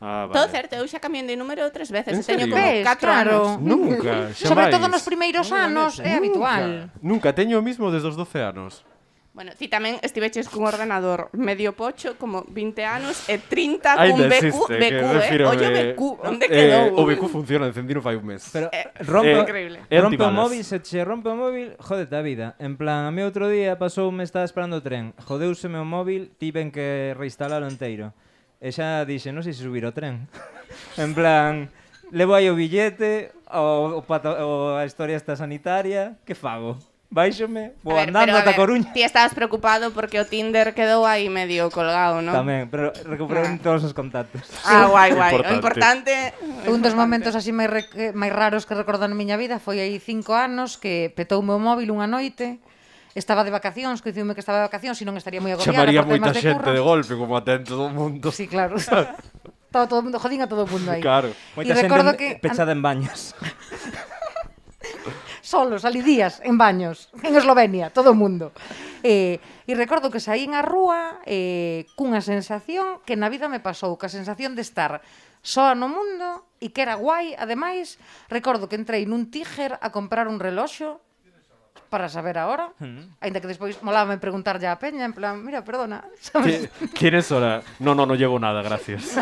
Ah, vale. Todo certo, eu xa cambié de número 3 veces. En E teño serio? como Ves, 4 claro. anos. Nunca, Sobre xamais. todo nos primeiros anos, é habitual. Nunca, teño o mismo desde os 12 anos. Bueno, ti tamén estiveches cun ordenador medio pocho, como 20 anos, e 30 Ainda cun existe, que refírome- Ollo BQ, onde quedou? O BQ funciona, encendino fai un mes. Pero rompe- increíble. É rompe o antibalas. móvil, se che rompe o móvil, jódete a vida. En plan, a mí outro día pasoume, estaba esperando o tren, jodeuseme o móvil, tiven que reinstalalo inteiro. E xa dixe, non sei se subir o tren. En plan, levo aí o billete, a historia esta sanitaria, que fago? Baixome, vou andando ata Coruña. Ti estabas preocupado porque o Tinder quedou aí medio colgado, non? Tamén, pero recuperei todos os contactos. Ah, guai, guai. O Importante. importante... Un dos momentos así máis raros que recordo na miña vida foi aí 5 anos que petou o meu móvil unha noite. Estaba de vacacións, coincidiume que estaba de vacacións e non estaría moi agobiada Chamaría por temas moita de xente curro. de golpe, como atento todo o mundo. Sí, claro. Estaba todo o mundo, jodín a todo o mundo aí. Claro. Moita E xente recordo que pechada en baños. solos, ali días, en baños, en Eslovenia, todo o mundo. E recordo que saín á rúa cunha sensación que na vida me pasou, ca sensación de estar soa no mundo e que era guai, ademais, recordo que entrei nun Tiger a comprar un reloxo para saber a hora, aínda que despois molábame preguntar ya a peña, en plan, mira, perdona, sabes? ¿Quién es hora? No llevo nada, gracias.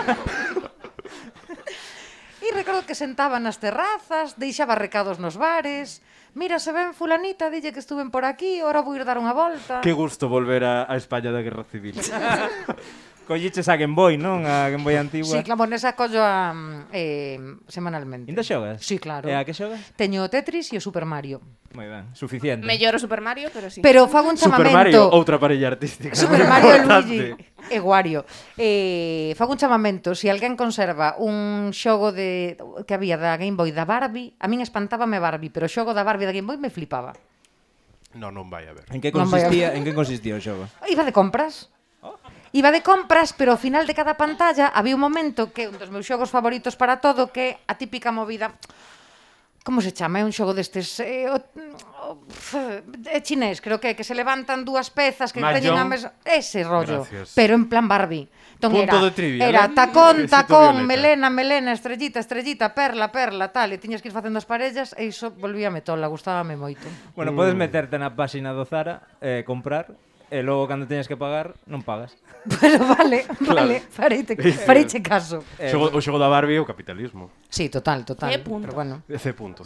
E recordo que sentaba nas terrazas, deixaba recados nos bares. Mira, se ven fulanita, dille que estuven por aquí, ora vou ir dar unha volta. Qué gusto volver a España da Guerra Civil. Colliches a Game Boy, non? A Game Boy antigua. Sí, claro, nesa collo semanalmente. Ainda xogas? Sí, claro. E a que xogas? Teño o Tetris e o Super Mario. Moi ben, suficiente. Mellor o Super Mario, pero sí. Pero fago un Super chamamento. Mario, outra parella artística. Super moi Mario e importante. Luigi e Wario. Fago un chamamento, se alguén conserva un xogo que había da Game Boy da Barbie, a min espantábame Barbie, pero o xogo da Barbie da Game Boy me flipaba. Non vai a ver. En que Non vai a consistía o xogo? Iba de compras. Iba de compras, pero ao final de cada pantalla había un momento que un dos meus xogos favoritos para todo, que é a típica movida. Como se chama? É un xogo destes é chinés, creo que se levantan dúas pezas que teñen a mesa, ese rollo. Gracias. Pero en plan Barbie. Entón Punto de trivia, era ¿no? tacón, Besito tacón, violeta. melena, estrellita, estrellita, perla, perla, tal, e tiñas que ir facendo as parellas e iso volvíame tola, gustábame moito. Bueno, podes meterte na páxina do Zara, comprar, e logo cando teñas que pagar, non pagas. Pero vale, fareiche caso. O xogo da Barbie é o capitalismo. Sí, total. C punto. Pero bueno. C punto.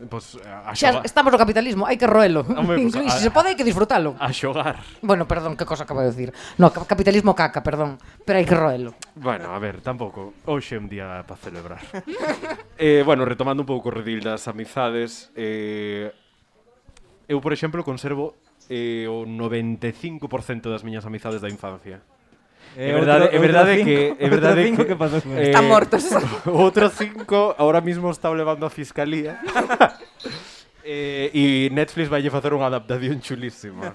Pois a Xa xogar. estamos no capitalismo, hai que roelo. Home, pues, Incluso, se pode, hai que disfrutalo. A xogar. Bueno, perdón, que cosa acabo de decir. No, capitalismo caca, perdón. Pero hai que roelo. Bueno, a ver, tampouco. Hoxe é un día para celebrar. Bueno, retomando un pouco o redil das amizades, eu, por exemplo, conservo o 95% das miñas amizades da infancia. É verdade que pasou con Están mortos. O outro 5 ahora mismo está levando a fiscalía. E Netflix vai facer unha adaptación chulísima.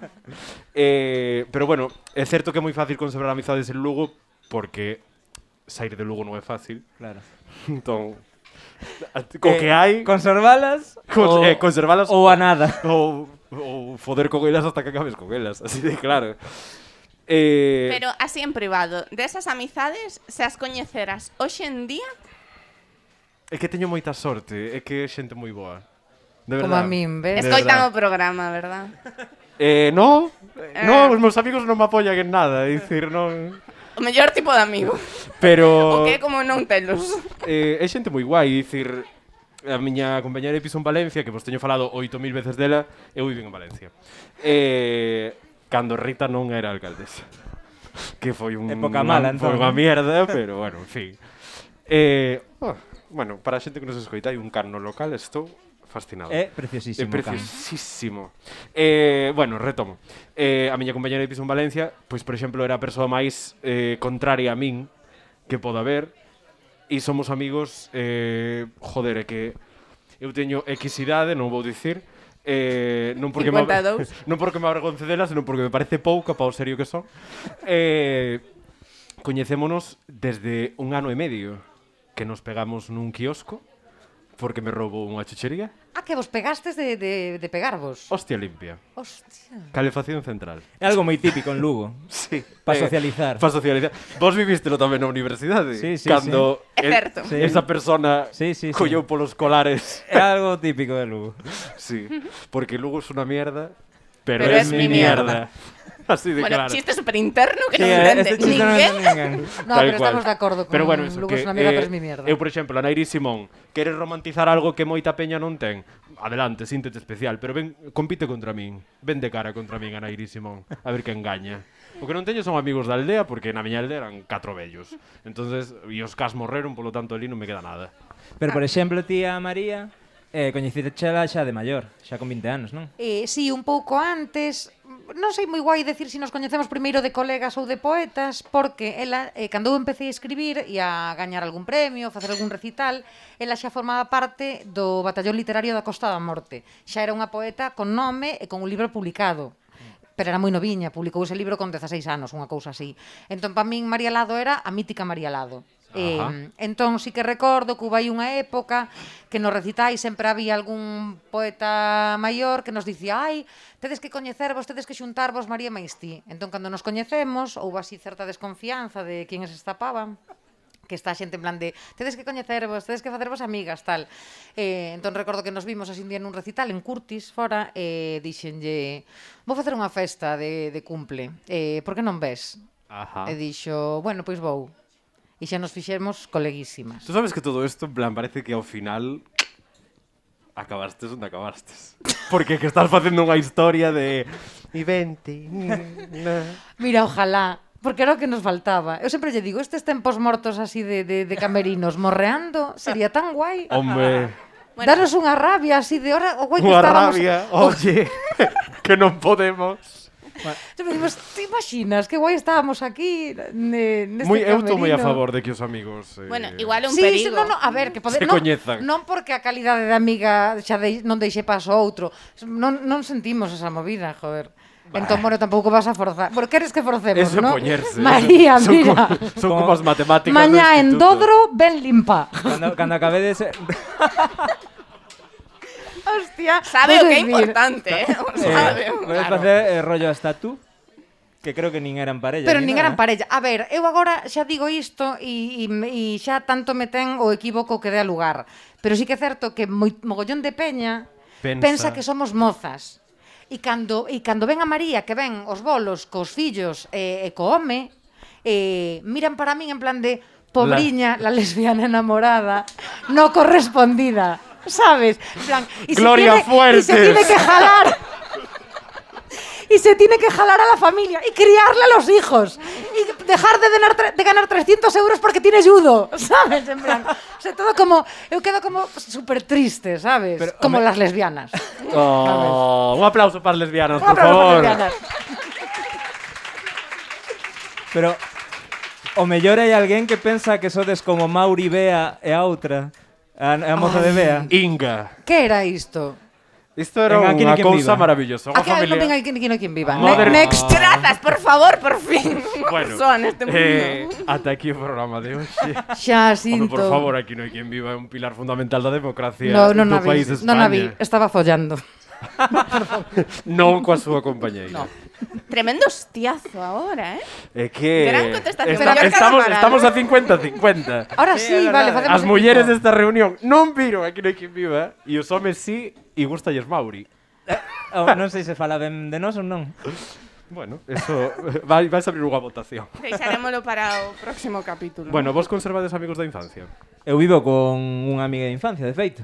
Pero bueno, é certo que é moi fácil conservar amizades en Lugo porque sair de Lugo non é fácil. Claro. Entón, co que hai, Conservalas conservalas ou a nada. ou foder con elas hasta que acabes con elas, así de claro. Pero así en privado, desas amizades, se as coñeceras hoxe en día, É que teño moita sorte, é que é xente moi boa. De Como a verdad. min, ves? De escoitan verdad. o programa, verdad? No, os meus amigos non me apoian en nada, é dicir, non... O mellor tipo de amigo. Pero... O que é como non telos. É xente moi guai, é dicir, a miña compañera de piso en Valencia, que vos teño falado 8.000 veces dela, eu vivo en Valencia. Cando Rita non era alcaldesa. Que foi Época mala, foi entón. unha mierda, pero bueno, en fin. Bueno, para a xente que nos escoita, hai un can no local, estou fascinado. É preciosísimo. É preciosísimo. Bueno, retomo. A miña compañera de piso en Valencia, pois, por exemplo, era a persoa máis contraria a min que poda haber, e somos amigos, joder, é que eu teño X idade, non vou dicir, non porque 52. non porque me avergonce dela, senón porque me parece pouca para o serio que son. Coñecémonos desde 1 ano e medio, que nos pegamos nun quiosco, porque me roubou unha chuchería. Que vos pegastes de pegarvos. Hostia limpia. Hostia. Calefacción central. É algo moi típico en Lugo. Sí. Pa socializar. Para socializar. Vos vivístelo tamén na universidade. Sí, sí, Cando sí. É certo. Sí. esa persona Sí. colleu polos colares. É algo típico de Lugo. Sí. Porque Lugo es una mierda, pero Pero es es mi mi mierda. Así de Bueno, claro. chiste super interno que non este entende chiste non ninguén. entende ninguén. No, Tal pero cual. estamos de acordo con Pero bueno, eso, Lugo que, es una mierda, pero es mi mierda. Eu, por exemplo, a Nairi Simón, queres romantizar algo que moita peña non ten? Adelante, síntete especial, pero ven, compite contra min. Ven de cara contra min a Nairi Simón, a ver quen gaña. O que non teño son amigos da aldea, porque na miña aldea eran 4 vellos. Entonces, e os cas morreron, polo tanto, ali non me queda nada. Pero, por exemplo, tía María, coñecitechela xa de maior, xa con 20 anos, non? Sí, un pouco antes. Non sei moi guai decir se nos coñecemos primeiro de colegas ou de poetas, porque ela, cando eu empecé a escribir e a gañar algún premio, facer algún recital, ela xa formaba parte do batallón literario da Costa da Morte. Xa era unha poeta con nome e con un libro publicado. Pero era moi noviña, publicou ese libro con 16 anos, unha cousa así. Entón, para min, María Lado era a mítica María Lado. Entón, sí que recordo que hubo aí unha época que nos recitais sempre había algún poeta maior que nos dicía tedes que coñecervos, tedes que xuntarvos María máis ti. Entón, cando nos coñecemos, houve así certa desconfianza de quen se estapaban, que está a xente en plan de tedes que coñecervos, tedes que facervos amigas, tal. Entón recordo que nos vimos así un día nun recital en Curtis, fora, e dixenlle vou facer unha festa de cumple, por que non ves? Ajá. E dixo, bueno, pois vou. E xa nos fixemos coleguísimas. Tú sabes que todo isto, en plan, parece que ao final acabastes onde acabastes. Porque que estás facendo unha historia de e vente. Mira, ojalá, porque era o que nos faltaba. Eu sempre lle digo, estes tempos mortos así de camerinos morreando, sería tan guai. Hombre, Bueno. Danos unha rabia así de hora, o guai que unha estábamos. rabia. Oye, que non podemos. Te imaginas que guai estábamos aquí neste Moi, eu camerino? estou moi a favor de que os amigos Bueno, igual un Sí, sí, perigo. a ver, que Se coñezan. non porque a calidade de amiga xa non deixe paso a outro. Non sentimos esa movida, joder. Entón, bueno, tampouco vas a forzar. Por queres que forcemos, Eso é ¿no? poñerse. María, Son mira. Son como as matemáticas do Mañá en instituto. Dodro, ben limpa. Cando acabedes... Hostia. Sabe o vou que é decir. importante, O sabe, Podes claro. facer rollo hasta tú, que creo que nin eran parella. Pero ni nin nada. eran parella. A ver, eu agora xa digo isto e xa tanto me ten o equívoco que dé a lugar. Pero sí que é certo que mogollón de peña pensa que somos mozas. E cando ven a María, que ven os bolos cos fillos e co home, miran para min en plan de pobriña, la lesbiana enamorada, no correspondida, ¿sabes? En plan, Gloria Fuertes. Y se tiene que jalar. Y se tiene que jalar a la familia y criarle a los hijos y dejar de ganar 300 euros porque tiene judo, ¿sabes? En plan, o sea, todo como, eu quedo como súper triste, ¿sabes? Pero, como home- las lesbianas. Un aplauso para as lesbianas, Un por aplauso favor. para las lesbianas. Pero o mellor hai alguén que pensa que sodes como Mauri Bea e a outra, a moza de Bea. Inga. Que era isto? Isto era En Aquí no unha hay quien cousa viva. maravillosa. Unha Aquí non familia... venga aquí no quien viva. Moder- Next. Grazas, por favor, por fin. Bueno, Persoa neste mundo. ata aquí o programa de hoxe. Xa Home, sinto. por favor, aquí non hai quen viva, é un pilar fundamental da democracia No, non do a vi. país de Non a España. vi. Estaba follando. Non coa súa compañeira. No. Tremendo hostiazo ahora, É que Gran contestación. Pero estamos a 50-50. Ahora Sí, sí, é vale, verdade. facemos As mulleres equipo. desta reunión non viron aquí non hai quen viva e os homes sí e gustalles Mauri. Non sei se fala ben de nós ou non. Bueno, eso vais a abrir unha votación. Deixaremoslo para o próximo capítulo. Bueno, vos conservades amigos da infancia? Eu vivo con unha amiga de infancia, de feito.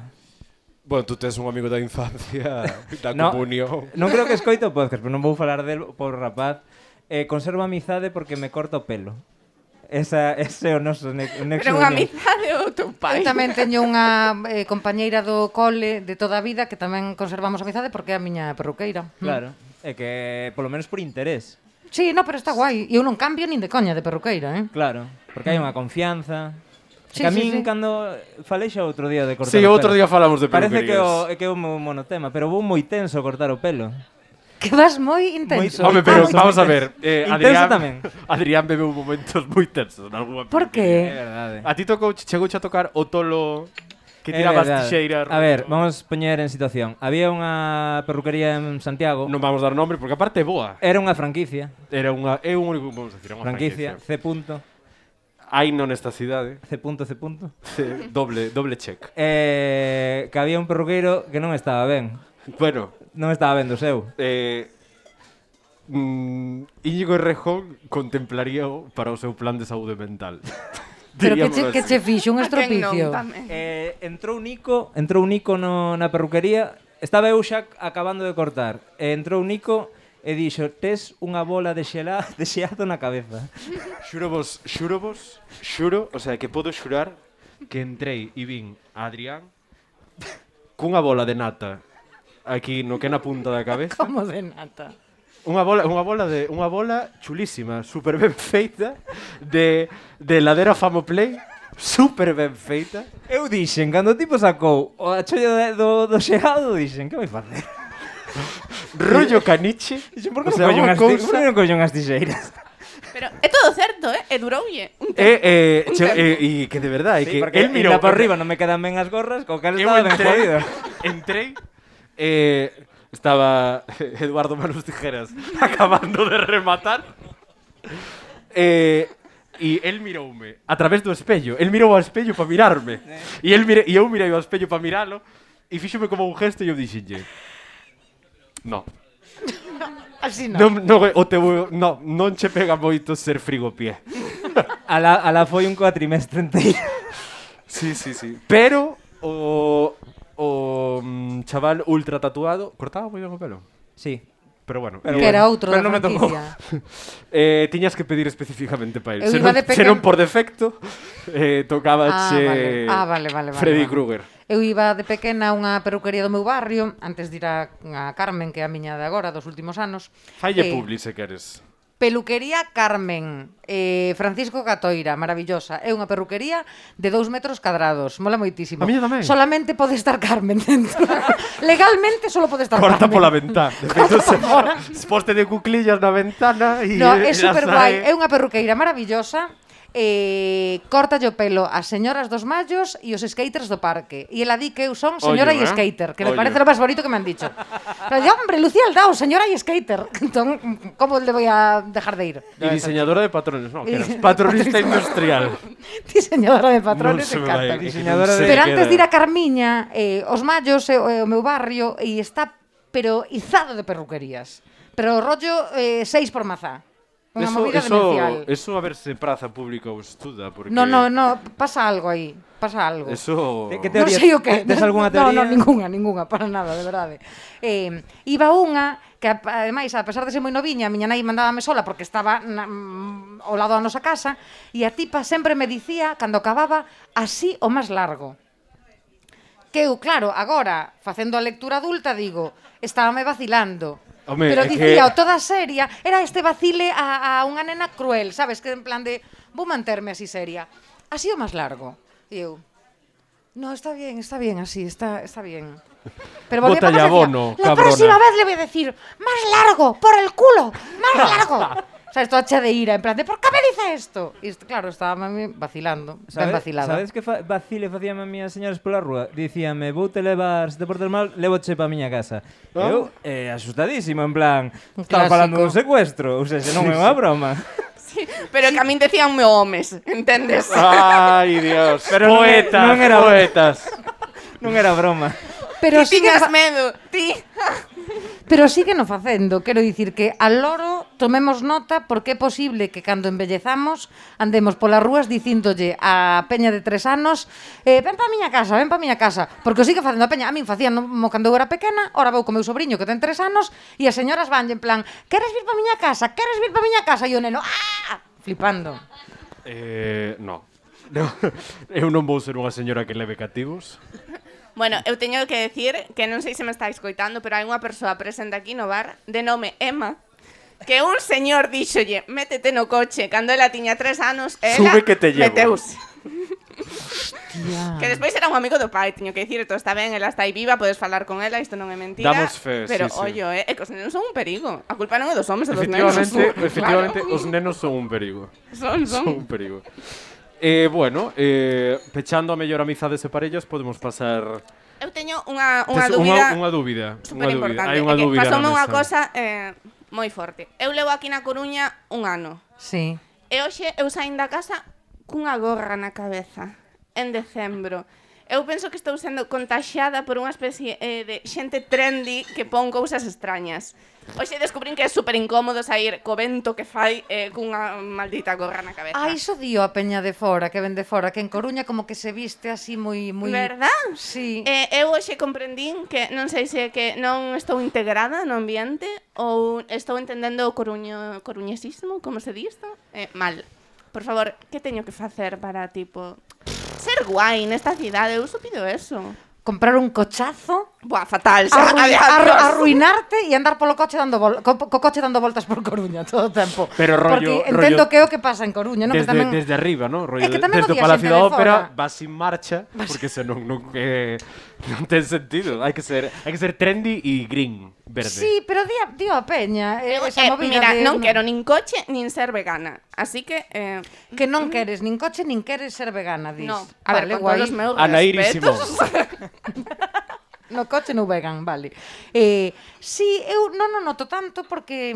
Bueno, tú tes un amigo da infancia da No. comunión. Non creo que escoito o podcast, pero non vou falar del por rapaz. Conservo amizade porque me corta o pelo. Ese é o noso nexo Pero unha amizade ou teu Eu pai. tamén teño unha compañeira do cole de toda a vida que tamén conservamos amizade porque é a miña perruqueira. Claro, é que polo menos por interés. Sí, no, pero está guai. E eu non cambio nin de coña de perruqueira, Claro, porque hai unha confianza. Sí, Que a sí, min sí. cando falei xa outro día de cortar Sí, o outro pelo. día falamos de Parece peluquerías. que é o meu monotema, pero vou moi tenso a cortar o pelo. Que vas moi intenso. Moi Home, pero Intenso, vamos a intenso. ver, Intenso tamén. Adrián bebeu momentos moi tensos en algunha Por peluquería. É que? verdade. A ti chegouche a tocar o tolo que É tiraba as verdade. tixeiras. A ver, vamos poñer en situación. Había unha perruquería en Santiago. Non vamos dar nombre porque aparte é boa. Era unha franquicia. Era unha é un único, vamos a decir, unha Franquicia, franquicia. C. punto, Hai non nesta cidade. C. punto, C. punto. Doble check. Que había un perruqueiro que non estaba ben. Bueno, Non estaba ben do seu. Íñigo Errejón contemplaríao para o seu plan de saúde mental. Pero Diríamolo que así. che fixo un A quen non, estropicio. tamén. Entrou Nico na perruquería. Estaba eu xa acabando de cortar. Entrou Nico e dixo: "Tes unha bola de xeado na cabeza." Xuro, o sea, que podo xurar que entrei e vin a Adrián cunha bola de nata aquí no que na punta da cabeza. Como de nata. Unha bola chulísima, super ben feita de heladera Famoplay, super ben feita. Eu dixen, cando o tipo sacou o achollo do xeado, dixen: "Que vai facer?" Rollo caniche. Dixen: "Por que O sea, unha por que cousa- non collo unhas tixeiras?" Pero é todo certo, e duroulle un tempo. E Un tempo. que de verdade, Sí, que porque él mirou por arriba non me quedan ben as gorras, co cal Eu estaba ben jodido. entrei, estaba Eduardo Manos Tijeras acabando de rematar. E él miroume a través do espello. El mirou ao espello para mirarme. E eu mirei ao espello para miralo e fíxome como un gesto e eu dixenlle: "No, Así non. non che pega moito ser frigopié." Ala foi un cuatrimestre enteiro. Sí. Pero o chaval ultra tatuado cortaba moi ben o pelo. Sí. pero bueno. Que era outro da pero non me tocou. franquicia. Tiñas que pedir especificamente para Eu él. Se iba non, de se non pequeno- por defecto, tocabache vale. Freddy vale. Krueger. Eu iba de pequena a unha peruquería do meu barrio, antes de ir a Carmen, que é a miña de agora, dos últimos anos. Falle publi, se queres. Peluquería Carmen, Francisco Catoira, maravillosa. É unha perruquería de 2 metros cadrados, mola moitísimo. A miña tamén. Solamente pode estar Carmen dentro. Legalmente solo pode estar Corta Carmen. pola ventá. De feito, se poste de cuclillas na ventana e No, é e super as guai, hai. é unha perruqueira maravillosa. Corta o pelo as señoras dos mallos e os skaters do parque. E ela di que eu son señora e Ollo, skater, que me Ollo. parece lo máis bonito que me han dicho. Pero yo, hombre, Lucía Aldao, señora e skater. Entón, como le voy a dejar de ir? E diseñadora de patrones, no, que eras patronista industrial. Diseñadora de patrones, Non se me encanta. vai, Diseñadora non de- se Pero me antes queda. de ir a Carmiña, os mallos é o meu barrio e está pero izado de perruquerías. Pero rollo 6 por mazá. Unha movida demencial. Eso a ver se praza pública ou estuda, porque... No, pasa algo aí. Pasa algo. Eso... Que Non teoría- sei o que. tes algunha No, teoría? ninguna, para nada, de verdade. Iba unha que, ademais, a pesar de ser moi noviña, a miña nai mandábame sola porque estaba ao lado da nosa casa, e a tipa sempre me dicía, cando acababa, así o máis largo. Que eu, claro, agora, facendo a lectura adulta, digo, estábame vacilando. Home, Pero é dicía, que- toda seria, era este vacile a unha nena cruel, sabes? Que en plan de, vou manterme así seria. Así o máis largo. E eu, no, está bien así, está bien. Pero volvía Bótalle para casa e abono, decía, la cabrona. próxima vez le voy a decir, más largo, por el culo, más largo. O sea, esto hacha de ira, en plan de, ¿por qué me dice esto? Y claro, estaba mami vacilando, ben vacilada. Sabes que vacile facíame a miñas señoras pola rúa? Dicíame, vou te levar, se te portas mal, levoche pa miña casa. Eu, asustadísimo, en plan, estaba clásico. falando dun secuestro, ou seja, non é unha broma. Sí, pero que a min decían me homes, entendes? Ai, Dios. Pero non é- poetas, non era- poetas. Non era broma. Pero Ti sigue, tiñas medo, ti. pero sigue no facendo, quero dicir que al loro tomemos nota porque é posible que cando embellezamos andemos polas rúas dicíndolle a peña de 3 anos ven pa miña casa, porque o sigue facendo a peña, a min facían cando eu era pequena, ora vou co meu sobrinho que ten 3 anos e as señoras vanlle en plan, queres vir pa miña casa, e o neno, flipando. No. No. Eu non vou ser unha señora que leve cativos. Bueno, eu teño que decir que non sei se me está escoitando, pero hai unha persoa presente aquí no bar de nome Emma, que un señor díxolle, métete no coche, cando ela tiña 3 anos, e ela Sube que te llevo. meteuse. Hostia. Que despois era un amigo do pai, teño que dicir, todo está ben, ela está aí viva, podes falar con ela, isto non é mentira. Damos fe, pero, sí, sí. ollo, que os nenos son un perigo. A culpa non é dos homes, é dos nenos. Efectivamente, Claro. os nenos son un perigo. Son. Son un perigo. Bueno, pechando a mellor amizades e parellas, podemos pasar... Eu teño unha Tes dúbida unha dúbida. super importante. Hai unha dúbida Pasoume na unha mesa. cosa moi forte. Eu levo aquí na Coruña un ano. Sí. E hoxe eu saín da casa cunha gorra na cabeza en decembro. Eu penso que estou sendo contaxiada por unha especie de xente trendy que pon cousas extrañas. Hoxe descubrín que é super incómodo sair co vento que fai cunha maldita gorra na cabeza. Iso dio a peña de fora, que ven de fora, que en Coruña como que se viste así moi... Verdad? Sí. Eu hoxe comprendín que non sei se é que non estou integrada no ambiente ou estou entendendo o coruñesismo, como se di isto? Mal. Por favor, que teño que facer para, tipo, ser guai nesta cidade? Eu só pido eso. Comprar un cochazo, Buah, fatal. Xa, adiós. arruinarte e andar polo coche co coche dando voltas por Coruña todo o tempo. Pero rollo- Porque entendo rollo- que é o que pasa en Coruña, non? Que tamén... Desde arriba, ¿no? Rollo, É que tamén desde o había Palacio xente da de Ópera fora. vas sin marcha, porque senón non ten sentido. Hai que ser trendy e green, verde. Sí, pero dio a peña esa movida Mira, de... non quero nin coche nin ser vegana. Así que... Que non queres nin coche nin queres ser vegana, dis. no, a ver, con guai. todos os meus Anairísimo. respetos. No coche no vegan, vale. Sí, eu non o noto tanto porque,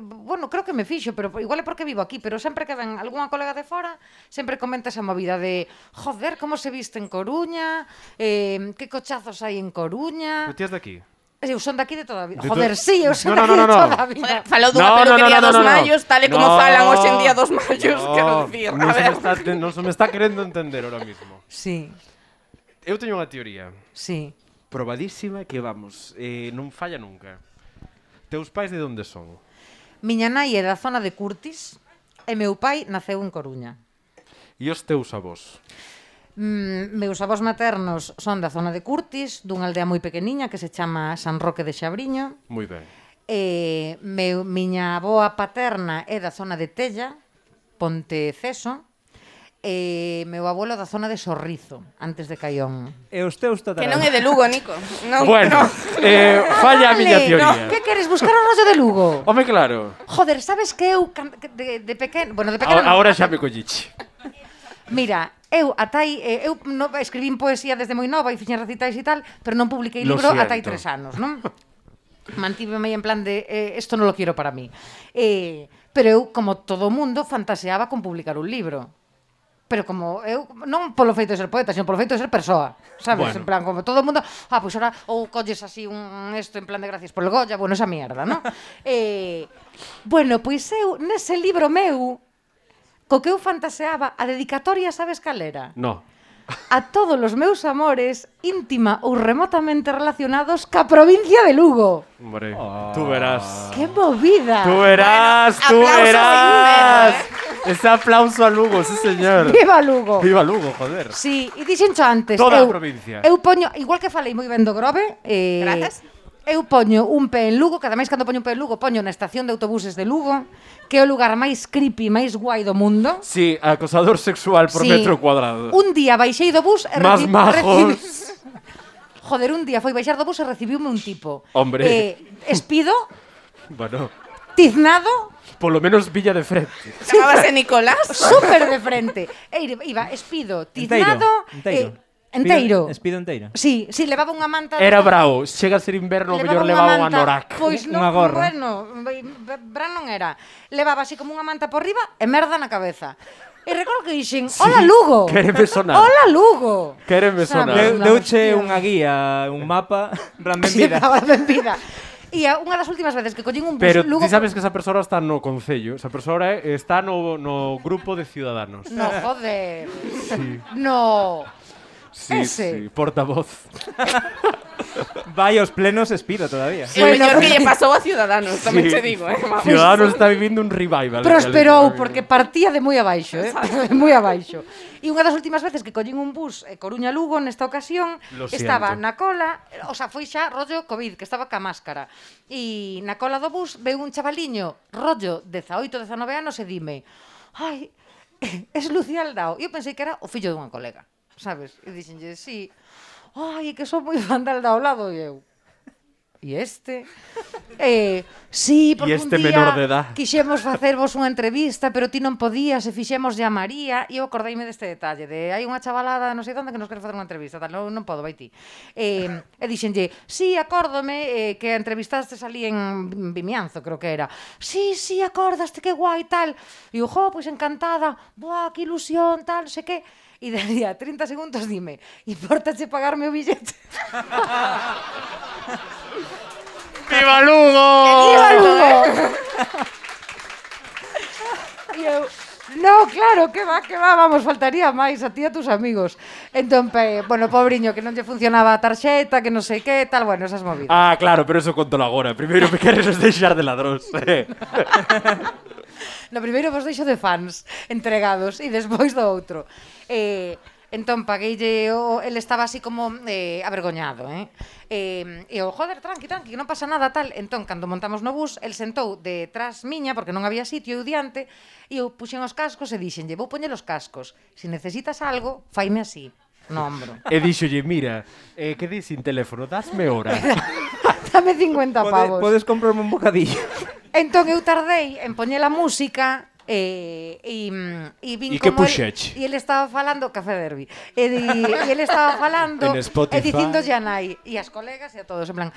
bueno, creo que me fixo, pero igual é porque vivo aquí, pero sempre que ven algunha colega de fora, sempre comenta esa movida de, joder, como se viste en Coruña, que cochazos hai en Coruña. Pero ti és de aquí? Eu son daqui de toda a vida. De Joder, to- sí, eu son No, daqui no, no, de no. toda a vida. Joder, falou dunha peluquería dos mallos, tal e como falan hoxe en día dos mallos, quero dicir. Non A se, ver. non se me está querendo entender ahora mismo. Sí, Eu teño unha teoría sí. probadísima que, vamos, non falla nunca. Teus pais de onde son? Miña nai é da zona de Curtis e meu pai naceu en Coruña. E os teus avós? Meus avós maternos son da zona de Curtis, dunha aldea moi pequeniña que se chama San Roque de Xabriño. Moi ben. Miña avoa paterna é da zona de Tella, Ponteceso, e meu abuelo da zona de Sorrizo, antes de Caión. E os teus Que tatarabuelos? non é de Lugo, Nico. Non, Bueno, falla a miña teoría. Que queres buscar o rollo de Lugo? Home, claro. Joder, sabes que eu de pequeno... Bueno, de pequeno... Ahora xa me colliche. Mira, eu escribín poesía desde moi nova e fixen recitais e tal, pero non publiquei Lo libro siento. ata hai 3 anos, non? Mantíveme en plan de esto non lo quiero para mí. Pero eu, como todo mundo, fantaseaba con publicar un libro. Pero como eu, non polo feito de ser poeta, sino polo feito de ser persoa, sabes? Bueno. En plan, como todo o mundo, pois ahora, ou colles así un esto en plan de gracias por el Goya, bueno, esa mierda, non? Bueno, pois eu, nese libro meu, co que eu fantaseaba, a dedicatoria, sabes cal era? No. A todos os meus amores, íntima ou remotamente relacionados ca provincia de Lugo. Hombre, tú verás. ¡Qué movida! Tú verás, tú aplauso verás. sincero, Ese aplauso a Lugo, sí señor. ¡Viva Lugo! Viva Lugo, joder. Sí, e dixencho antes, Toda a provincia. Eu poño, igual que falei moi ben do Grove, Grazas. eu poño un pé en Lugo, que ademais cando poño un pé en Lugo, poño na estación de autobuses de Lugo, que é o lugar máis creepy, máis guai do mundo. Sí, acosador sexual por Sí. metro cuadrado. Un día baixei do bus e Más majos. Joder, un día foi baixar do bus e recibiume un tipo. Hombre. Espido, Bueno, tiznado, polo menos Villa de frente. Chamábase Nicolás. súper de frente. E iba espido, tiznado, enteiro. Espido enteiro. Sí, levaba unha manta. Era bravo, chega a ser inverno, o mellor levaba un anorak. Pois non, Unha gorra. bueno, Bran non era. Levaba así como unha manta por riba e merda na cabeza. E recordo que dixen, hola Lugo. Quéreme sonar. Hola Lugo. Quéreme sonar. Sabes? Deuche Hostia. unha guía, un mapa, plan ben Sí, vida. estaba ben vida. E unha das últimas veces que collín un bus Pero Lugo... ti sabes que esa persoa está no concello, esa persoa está no grupo de ciudadanos. No, joder. No. Sí, ese. sí, portavoz. Vai aos plenos espido todavía. O mellor que lle pasou a Ciudadanos, tamén Sí. te digo, Vamos. Ciudadanos está vivindo un revival. Prosperou porque partía de moi abaixo, de moi abaixo. E unha das últimas veces que collín un bus Coruña-Lugo nesta ocasión, Lo estaba siento. na cola, o sea, foi xa rollo COVID, que estaba ca máscara. E na cola do bus veu un chavaliño, rollo 18, 19 anos e dime: "Ai, es Lucía Aldao". E eu pensei que era o fillo dunha colega, sabes? E dixenlle: "Sí". "Ai, que son moi fan de Aldao", lado e eu. E este? Sí, porque E este un día menor de edad. quixemos facervos unha entrevista, pero ti non podías e fixemos a María, e eu acordeime deste detalle, de hai unha chavalada non sei onde que nos quere facer unha entrevista, tal, non podo, vai ti. E dixenlle, sí, acórdome que entrevistaste ali en Vimianzo, creo que era. Sí, acordaste, que guai, tal. E eu, pois encantada, boa, que ilusión, tal, non sei que. E de día 30 segundos dime, importache pagarme o billete? ¡Viva Lugo! ¡Viva Lugo! E eu, no, claro, que va, vamos, faltaría máis a ti e a tus amigos. Entón, bueno, pobriño, que non lle funcionaba a tarxeta, que non sei que, tal, bueno, esas movidas. Ah, claro, pero eso conto agora. Primeiro me queres deixar de ladróns. No primeiro vos deixo de fans entregados e despois do outro. Entón, pagueille, ele estaba así como avergoñado, E eu, joder, tranqui, que non pasa nada, tal. Entón, cando montamos no bus, el sentou detrás miña, porque non había sitio, eu diante, e eu puxen os cascos e dixenlle, vou poñer os cascos. Se necesitas algo, faime así, no ombro. E díxolle, mira, que di sin teléfono, dasme hora. Dame 50 pavos. Podes comprarme un bocadillo. Entón, eu tardei en poñer a música e vin E que como puxeche? e ele estaba falando Café Derby e ele estaba falando En Spotify. e dicíndolle a nai e as colegas e a todos en plan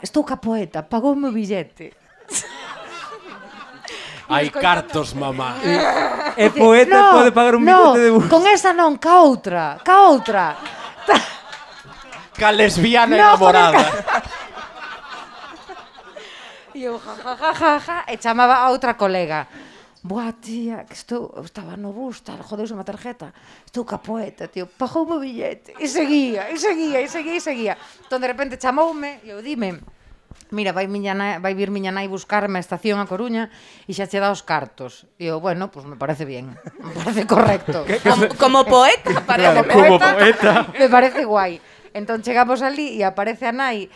estou ca poeta, pagoume o billete. Hai cartos, mamá. E poeta pode pagar un billete de bus. Con esa non, ca outra. Ca lesbiana No, enamorada. E eu, ja, e chamaba a outra colega. Boa, tía, que estaba no bus, tal, jodeuse unha tarjeta. Estou ca poeta, tío, pagou o billete. E seguía. Entón, de repente, chamoume, e eu dime, mira, vai vir miña nai buscarme a estación a Coruña e xa che dá os cartos. E eu, bueno, pues me parece bien, me parece correcto. Como poeta, parece. Como poeta. Me parece guai. Entón chegamos ali e aparece a nai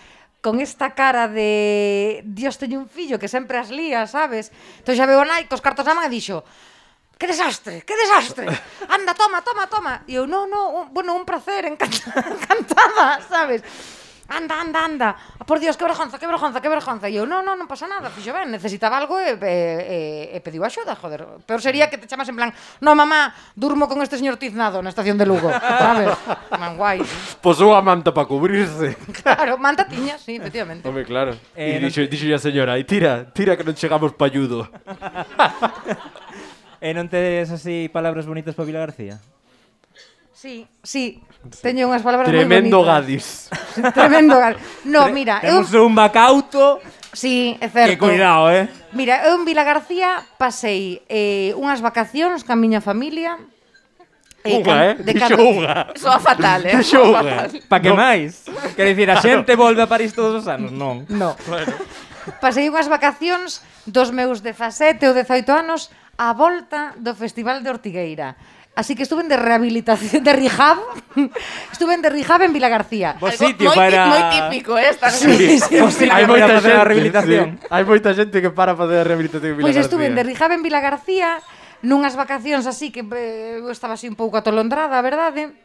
con esta cara de Dios, teño un fillo que sempre as lía, sabes? Entón xa veo a nai cos cartos na man e dixo: que desastre, que desastre. Anda, toma. E eu, no, bueno, un placer, encantada, sabes? Anda. Por Dios, que vergonza. E eu, no pasa nada, fixo ben, necesitaba algo e pediu axuda, joder. Peor sería que te chamas en plan: no, mamá, durmo con este señor tiznado na estación de Lugo, sabes? Man, guai. Pois unha manta para cubrirse. Claro, manta tiña, sí, efectivamente. Home, claro. E dixo a señora, e tira que non chegamos pa ayudo. E non tes así palabras bonitas para Vila García? Sí. Teño unhas palabras moi Tremendo bonitas. Gadis. Tremendo Gadis. No, mira, Temos un bacauto. Sí, é certo. Que cuidado, Mira, eu en Vila García pasei unhas vacacións ca miña familia. Dixo unha. Soa fatal, Dixo unha. Pa que máis? Quer dicir, a xente volve a París todos os anos? Non. No. Bueno. Pasei unhas vacacións dos meus 17 ou 18 anos á volta do Festival de Ortigueira. Así que estuve de rehabilitación, de rehab. Estuve de rehab en Vila García. Vos sitio para... Moi típico esta. Sí. Hai moita xente a rehabilitación. Hai moita xente que para facer a rehabilitación en Vila García. Pois estuve de rehab en Vila García nunhas vacacións así que eu estaba así un pouco atolondrada, a verdade.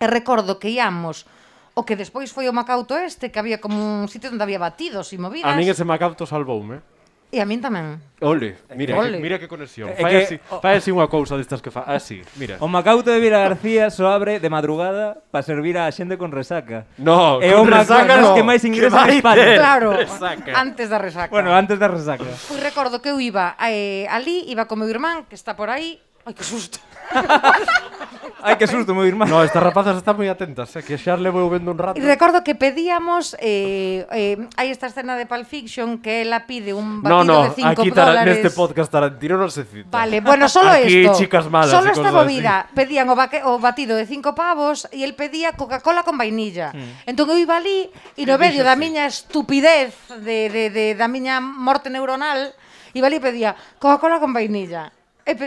E recordo que íamos o que despois foi o Macauto este, que había como un sitio onde había batidos e movidas. A min ese Macauto salvoume. E a min tamén. Ole, mira que conexión. Fai así unha cousa destas que fa. Así, mira. O Macauto de Vila García só abre de madrugada para servir a xente con resaca. No, e con resaca no. Que máis ingresos en España. Claro, resaca. Antes da resaca. Bueno, antes da resaca. Pois recordo que eu iba ali, iba con meu irmán, que está por aí. Ai, que susto. Ai, que susto, meu irmán. No, estas rapazas están moi atentas, que xa levo vendo un rato. E recordo que pedíamos hai esta escena de Pulp Fiction que ela pide un batido de $5. Aquí neste podcast Tarantino non se cita. Vale, bueno, solo aquí esto. Chicas malas. Solo esta movida. Pedían o batido de 5 pavos e el pedía Coca-Cola con vainilla. Entón eu iba ali e no medio da miña estupidez da miña morte neuronal iba ali e pedía Coca-Cola con vainilla. E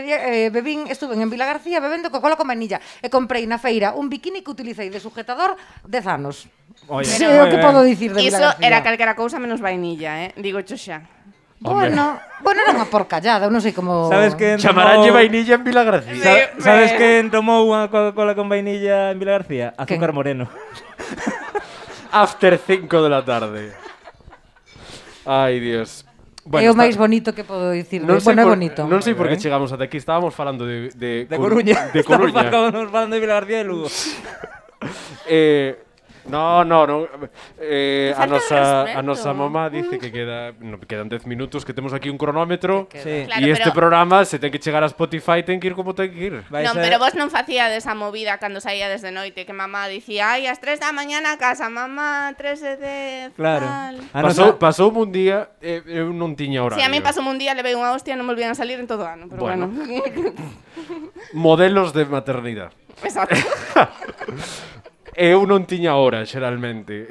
estuve en Vila García bebendo Coca-Cola con vainilla e comprei na feira un bikini que utilicei de sujetador 10 anos. Oye, o que podo dicir de Vila Iso García. era calquera cousa menos vainilla, digo cho xa. Bueno, era unha porcallada, eu non sei como... Sabes que Chamaranlle vainilla en Vila García. Sabes que tomou unha Coca-Cola con vainilla en Vila García? Azúcar moreno. After 5 de la tarde. Ai, Dios. Bueno, é o máis bonito que podo dicir. Bueno, é bonito. Non sei por que chegamos ata aquí. Estábamos falando de Coruña. De Coruña. Estábamos falando de Vila García e Lugo. No. A nosa mamá dice que quedan 10 minutos, que temos aquí un cronómetro. Sí. Claro, E este programa, se ten que chegar a Spotify, ten que ir como ten que ir. Non, pero vos non facíades esa movida cando saía desde noite, que mamá dicía, ai, ás 3 da mañana a casa, mamá, 3 de 10, Claro. Pasou un día, eu non tiña horario. Si, a mí pasou un día, levei unha hostia e non volvían a salir en todo o ano, pero bueno. Modelos de maternidade. Exacto. Eu non tiña hora, xeralmente.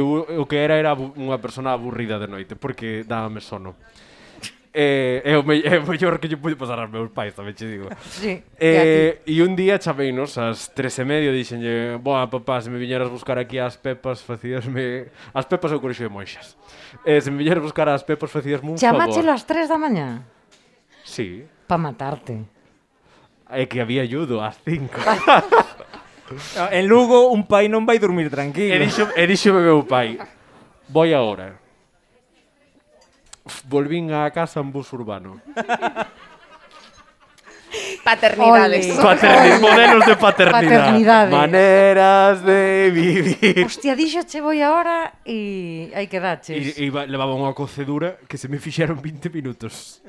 O que era unha persona aburrida de noite, porque dábame sono. É o mellor que lle pude pasar aos meus pais, tamén che digo. Sí. E un día chameinos ás 3:30 e dixenlle, boa, papá, se me viñeras buscar aquí as pepas, facíasme... As pepas é o colexio de monxas. Se me viñeras buscar as pepas, facíasme un favor. Chamáchelo ás 3 da mañá? Sí. Pa matarte. É que había ayudo ás 5. En Lugo un pai non vai dormir tranquilo. E dixo meu pai, voy agora. Volvín á casa en bus urbano. Paternidades. Modelos de paternidade. Paternidade. Maneras de vivir. Hostia, dixoche voy agora e aí quedaches. E levaba unha cocedura que se me fixeron 20 minutos.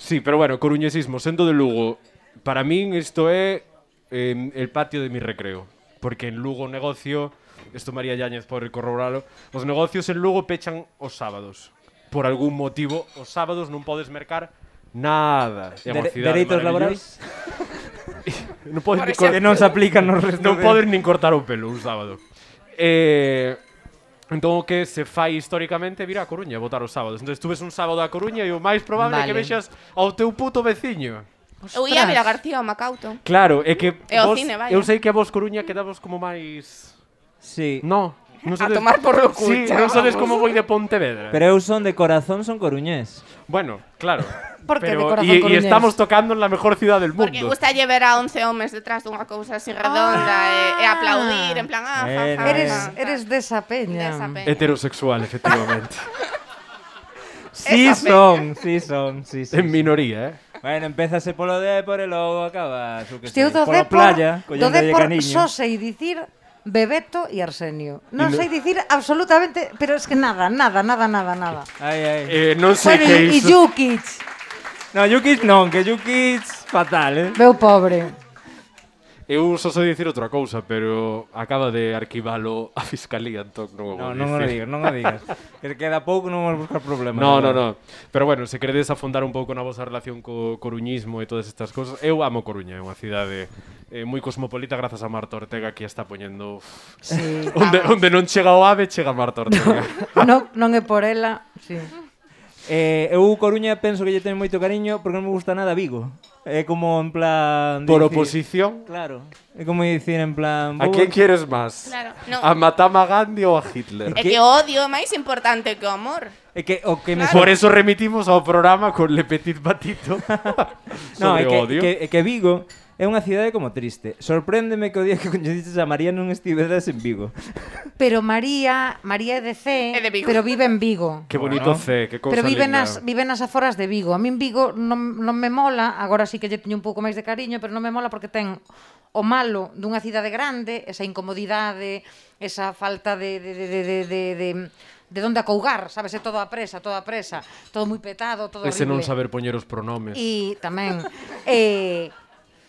Sí, pero bueno, coruñesismo, sendo de Lugo, para min isto é el patio de mi recreo. Porque en Lugo o negocio, isto María Yáñez pode corroboralo, os negocios en Lugo pechan os sábados. Por algún motivo, os sábados non podes mercar nada. Dereitos laborais? Non podes que non se aplican nos restos. Non podes nin cortar o pelo un sábado. Entón o que se fai históricamente é vir a Coruña a votar os sábados. Entón, tú ves un sábado a Coruña e o máis probable é que Vale. vexas ao teu puto veciño. Eu ia a Ostras. Vilagarcía ao Macauto. Claro, é que E ao vos, cine, vaya. eu sei que a vos Coruña quedavos como máis... Sí. No, non A tomar por lo Sí, cucha, non sabedes vamos. como voi de Pontevedra. Pero eu son de corazón, son coruñés. Bueno, claro. Por que de Pero, corazón e coruñés? estamos tocando en la mejor ciudad del Porque mundo. gusta ver a 11 homes detrás dunha cousa así redonda e aplaudir, en plan, Eres desa peña. Desa peña. Heterosexual, efectivamente. Sí Esa son, sí son, sí, sí. En minoría, Bueno, empezase polo Dépor e logo acabas, o que Hostia, eu do pola Dépor, playa, do collendo Dépor cariño. só sei dicir Bebeto e Arsenio. Non sei dicir absolutamente, pero es que nada. Ai, ai. Non sei Bueno, que e iso... Jukic, No, Jukic non, que Jukic fatal, meu pobre. Eu só sei dicir outra cousa, pero acaba de arquivalo a Fiscalía, entón non o vou No, non o dicir. digas, non o digas. Que queda pouco, non vamos buscar problemas. No. agora. Pero bueno, se queredes afondar un pouco na vosa relación co coruñismo e todas estas cousas, eu amo Coruña, é unha cidade moi cosmopolita grazas a Marta Ortega que está poñendo Sí. onde non chega o ave, chega Marta Ortega. Non é por ela, sí. Eu Coruña penso que lle teño moito cariño porque non me gusta nada Vigo. É como en plan... Por dicir- oposición, Claro. É como dicir en plan... a quen quieres máis? Claro, non. A Matama Gandhi ou a Hitler? É que o odio é máis importante que o amor. É que o que me Por eso remitimos ao programa con Le Petit Batito No, sobre é que, odio. é que Vigo é unha cidade como triste. Sorpréndeme que o día que coñeciches a María non estiveras en Vigo. Pero María é de C, É de Vigo. pero vive en Vigo. Que bonito C, que cousa Pero vive linda. nas aforas de Vigo. A min Vigo non me mola, agora sí que lle teño un pouco máis de cariño, pero non me mola porque ten o malo dunha cidade grande, esa incomodidade, esa falta de onde acougar, sabes, é todo a presa, todo moi petado, todo Ese non horrible. saber poñer os pronomes. E tamén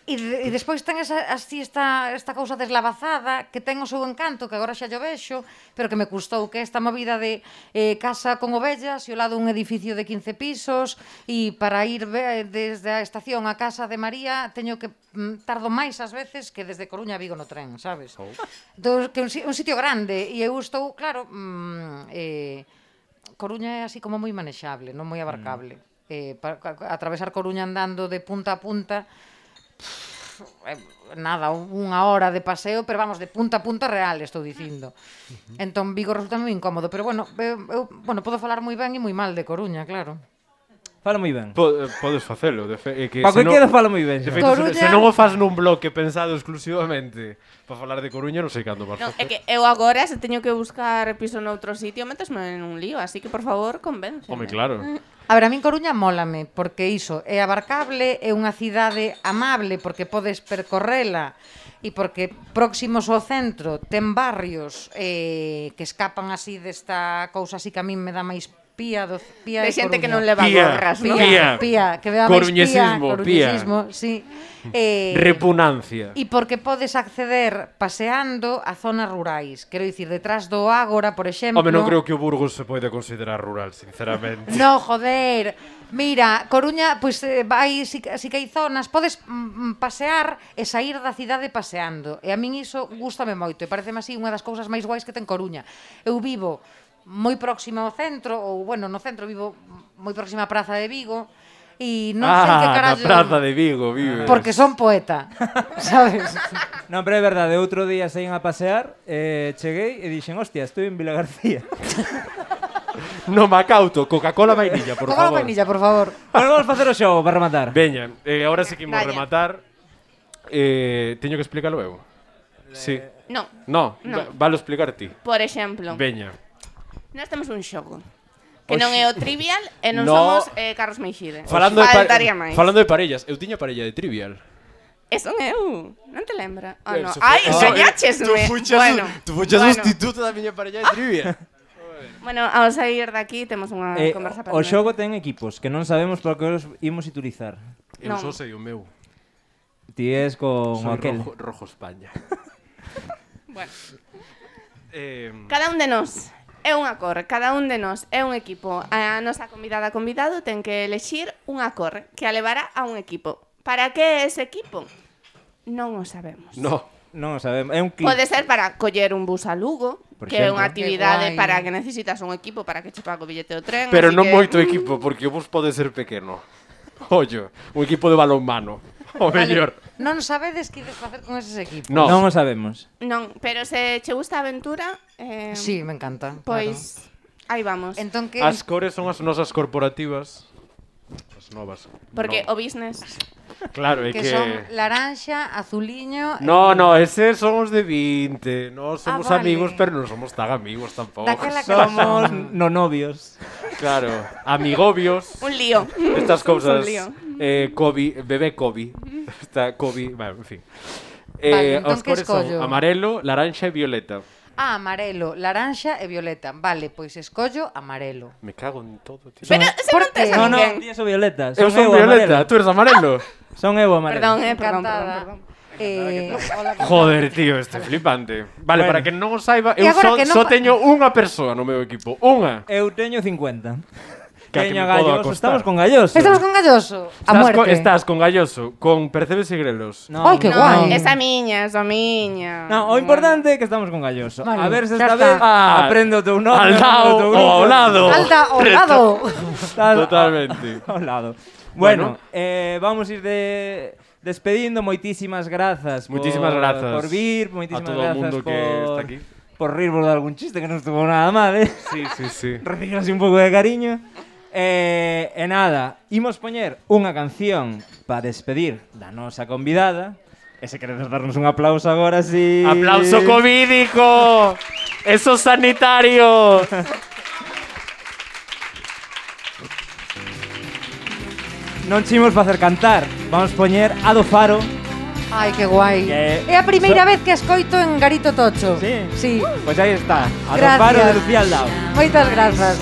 E despois ten así esta cousa deslavazada que ten o seu encanto, que agora xa yo vexo, pero que me custou, que esta movida de casa con ovellas e ao lado un edificio de 15 pisos e para ir desde a estación á casa de María teño que tardo máis ás veces que desde Coruña a Vigo no tren, sabes? Entón, que un sitio grande e eu estou, claro, Coruña é así como moi manexable, non moi abarcable. Atravesar Coruña andando de punta a punta nada, unha hora de paseo, pero vamos, de punta a punta real, estou dicindo. Entón Vigo resulta moi incómodo, pero bueno, eu podo falar moi ben e moi mal de Coruña, claro. Fala moi ben. Podes facelo. Que Paco Queda fala moi ben. De xa. feito, Coruña- se non o faz nun bloque pensado exclusivamente para falar de Coruña, non sei cando vas Non, facer. é que eu agora se teño que buscar piso noutro sitio, metesme en un lío, así que por favor, convénceme. Home, claro. A ver, a min Coruña mólame, porque iso é abarcable, é unha cidade amable, porque podes percorrela, e porque próximos ao centro ten barrios que escapan así desta cousa así que a min me dá máis pía De xente que Coruña. non leva Pía, gorras, non? Pía, que me dá máis coruñesismo, sí. Repunancia. E porque podes acceder paseando a zonas rurais. Quero dicir, detrás do Ágora, por exemplo... Home, non creo que o Burgos se pode considerar rural, sinceramente. No, joder. Mira, Coruña, pois vai, si que hai zonas, podes pasear e sair da cidade paseando. E a min iso gústame moito, e pareceme así unha das cousas máis guais que ten Coruña. Eu vivo moi próximo ao centro, ou, bueno, no centro vivo moi próxima á Praza de Vigo, e non sei que carallo... na Praza de Vigo, vives. Porque son poeta, sabes? Non, pero é verdade, outro día saín a pasear, cheguei e dixen, hostia, estou en Vilagarcía. No Macauto, Coca-Cola vainilla, por Coca-Cola favor. vainilla, por favor. Bueno, vamos facer o xogo para rematar. Veña, agora sí que imos Daña. rematar. Teño que explicarlo eu? Sí. Non. No, No. valo explicar ti. Por exemplo, Veña. nós temos un xogo que non é o Trivial e non No. somos Carlos Meixide. Falando Faltaría máis. falando de parellas, eu tiña parella de Trivial. Eso eu. Non te lembra? Ah, no. Eso foi- Ai, eso- engañáchesme. Tú fuchas bueno. sustituto da miña parella de Trivial. Bueno, ao sair daqui temos unha conversa O xogo ten equipos que non sabemos por que os imos utilizar. Eu Non. só sei o meu. Ti es con Soy aquel. rojo España. Bueno, Eh, cada un de nós é unha cor, cada un de nós é un equipo. A nosa convidado ten que elexir unha cor que a levará a un equipo. Para que ese equipo? Non o sabemos. no. Non o sabemos. É un clip. Pode ser para coller un bus a Lugo, Por que é exemplo. unha actividade Que guai. para que necesitas un equipo para que che pague o billete do tren. Pero así non que... moito equipo, porque o bus pode ser pequeno. Ollo, un equipo de balonmano. O mellor. Non sabedes que ides facer con eses equipos? No. Non o sabemos. Non, pero se che gusta a aventura, Sí, me encanta. pois aí vamos. Claro. Entón que As cores son as nosas corporativas. As novas. Porque no. o business... Claro, é que que... son laranxa, azuliño... No, no, eses son os de 20. Nós somos vale. amigos, pero non somos tan amigos tampouco. Daquela que Somos no novios. Claro, amigobios. Un lío. Estas cousas. Un lío. Kobe, bebé Kobe. Está Kobe, bueno, en fin. Vale, entón os que cores son escollo? amarelo, laranxa e violeta. Ah, amarelo, laranxa e violeta. Vale, pois escollo amarelo. Me cago en todo, tío. Pero se ¿Por non tes qué? a No, no, ninguén. ti son violeta. Eu son violeta, tú eres amarelo. Son eu amarelo. Perdón, perdón, Encantada. perdón. Hola, Joder, tío, este flipante. Vale, Bueno. para que non o saiba, E eu agora que non só pa- teño unha persoa no meu equipo. Unha. Eu teño 50. Que a que Teño me podo Galloso. acostar. Estamos con Galloso. Estamos con Galloso. A muerte. Estás con Galloso, con Percebes e Grelos. No, Ai, que No, guai. esa miña, esa miña. No, o importante é que estamos con Galloso. Vale, A ver se xa esta está. vez Ah, aprende o teu nome. al lado o teu ou grupo. ao lado. Alta ao lado. Estás Totalmente. Ao lado. Bueno. Bueno, vamos ir despedindo. Moitísimas grazas. Moitísimas grazas Por vir, moitísimas a todo o grazas mundo que está aquí. Por rirvos de algún chiste que non estuvo nada mal, Sí, sí, sí. Recibir así un pouco de cariño. E nada, imos poñer unha canción para despedir da nosa convidada. E se queredes darnos un aplauso agora, si... ¡Aplauso covídico! ¡Eso sanitario! Non chimos facer cantar. Vamos poñer a do Faro. Ai, que guai. Que- É a primeira vez que escoito en Garito Tocho. Sí? Sí. Pois aí está. A do Gracias. Faro de Lucía Aldao. Moitas grazas.